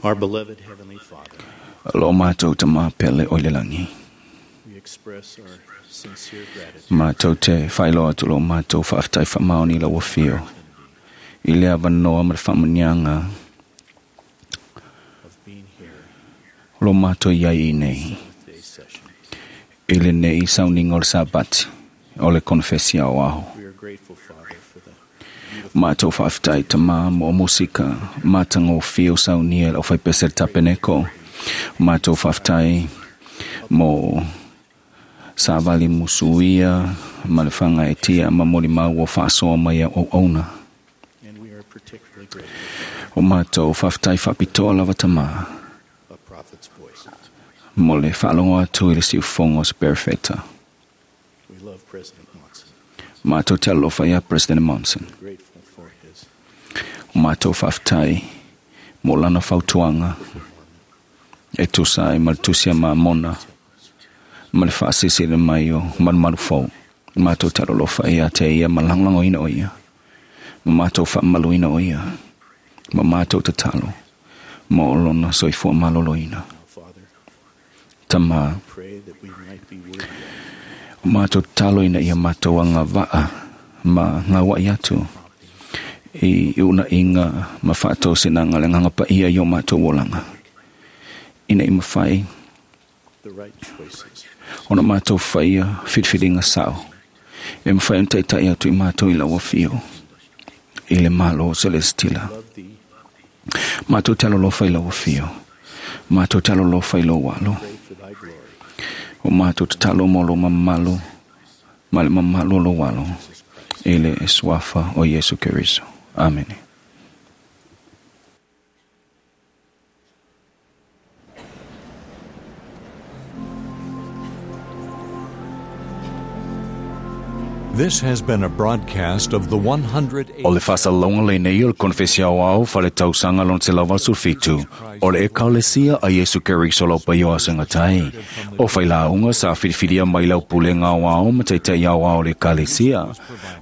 Our beloved Heavenly Father, Lo mātou ta mā pele o le langi. we express our sincere gratitude Mātou te whailoa atu lo mātou whaaftai whamaoni la wawhio. I lea vanoa ma le whaamanianga of being here lo mātou iai i nei. day session. I le nei sauninga o le Sabati o le konfesia o aho. We are grateful, Father, for the Mātou whaaftai ta mā mo musika mātanga o whio saunia o whaipese le tapeneko. Mātou whaaftai mo savali musuia ma le whanga e tia ma moli mau o whaasoa mai o ona. and we are particularly grateful O mātou whaaftai whapitoa lava ta mā a prophet's voice. mo le whaalongo atu i le siufongo o Sperfeta. We love President Monson. Mātou te alofa ia President Monson. Grateful for his O mātou whaaftai mo lana fautuanga e tusa ai ma le tusia ma mona ma le whaasisi le mai o marumaru fau. Mātou te alofa ia te ia ma langlango ina o ia. Ma mātou whaamaluina o ia. Ma mātou tatalo. Ma o lona soifua malolo ina. Father. Tama, Pray that we might be worthy o mātou tatalo ina ia mātou anga waa ma ngā wai atu. I una inga ma whaato sinanga le nganga pa ia i o mātou olanga. Ina i mawhai, the right choices. ona mātou whaia whiriwhiringa sao. E mawhai on taitai atu i mātou i laua whio. I le malo o Celestila. Love thee, Mātou te alolofa i laua whio. Mātou te alolofa i lau walo. pray for thy glory. O mātou te talo mo lo mamalo. Ma le mamalo lo walo. I le eswafa o Yesu Keriso. Amen. This has been a broadcast of the 108. O le whasalonga le nei o le konfesia o au whale tausanga lon te lawa sulfitu. O le ekalesia a Yesu Keriso lau paio a sengatai. O whailaunga sa whiriwhiria mai lau pulenga o ao ma teitai au ao le ekalesia.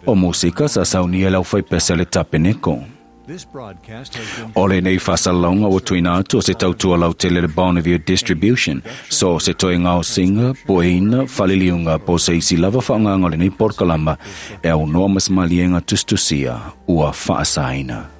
O musika sa saunia lau whaipese le tapeneko. This broadcast has been O le nei whasalonga o tuina atu o se tautua lau tele le Bonneville Distribution. So se toe ngao singa, poeina, whaliliunga, po se isi lava whaanganga o le nei porkalama e au noa masmalienga tustusia ua whaasaina.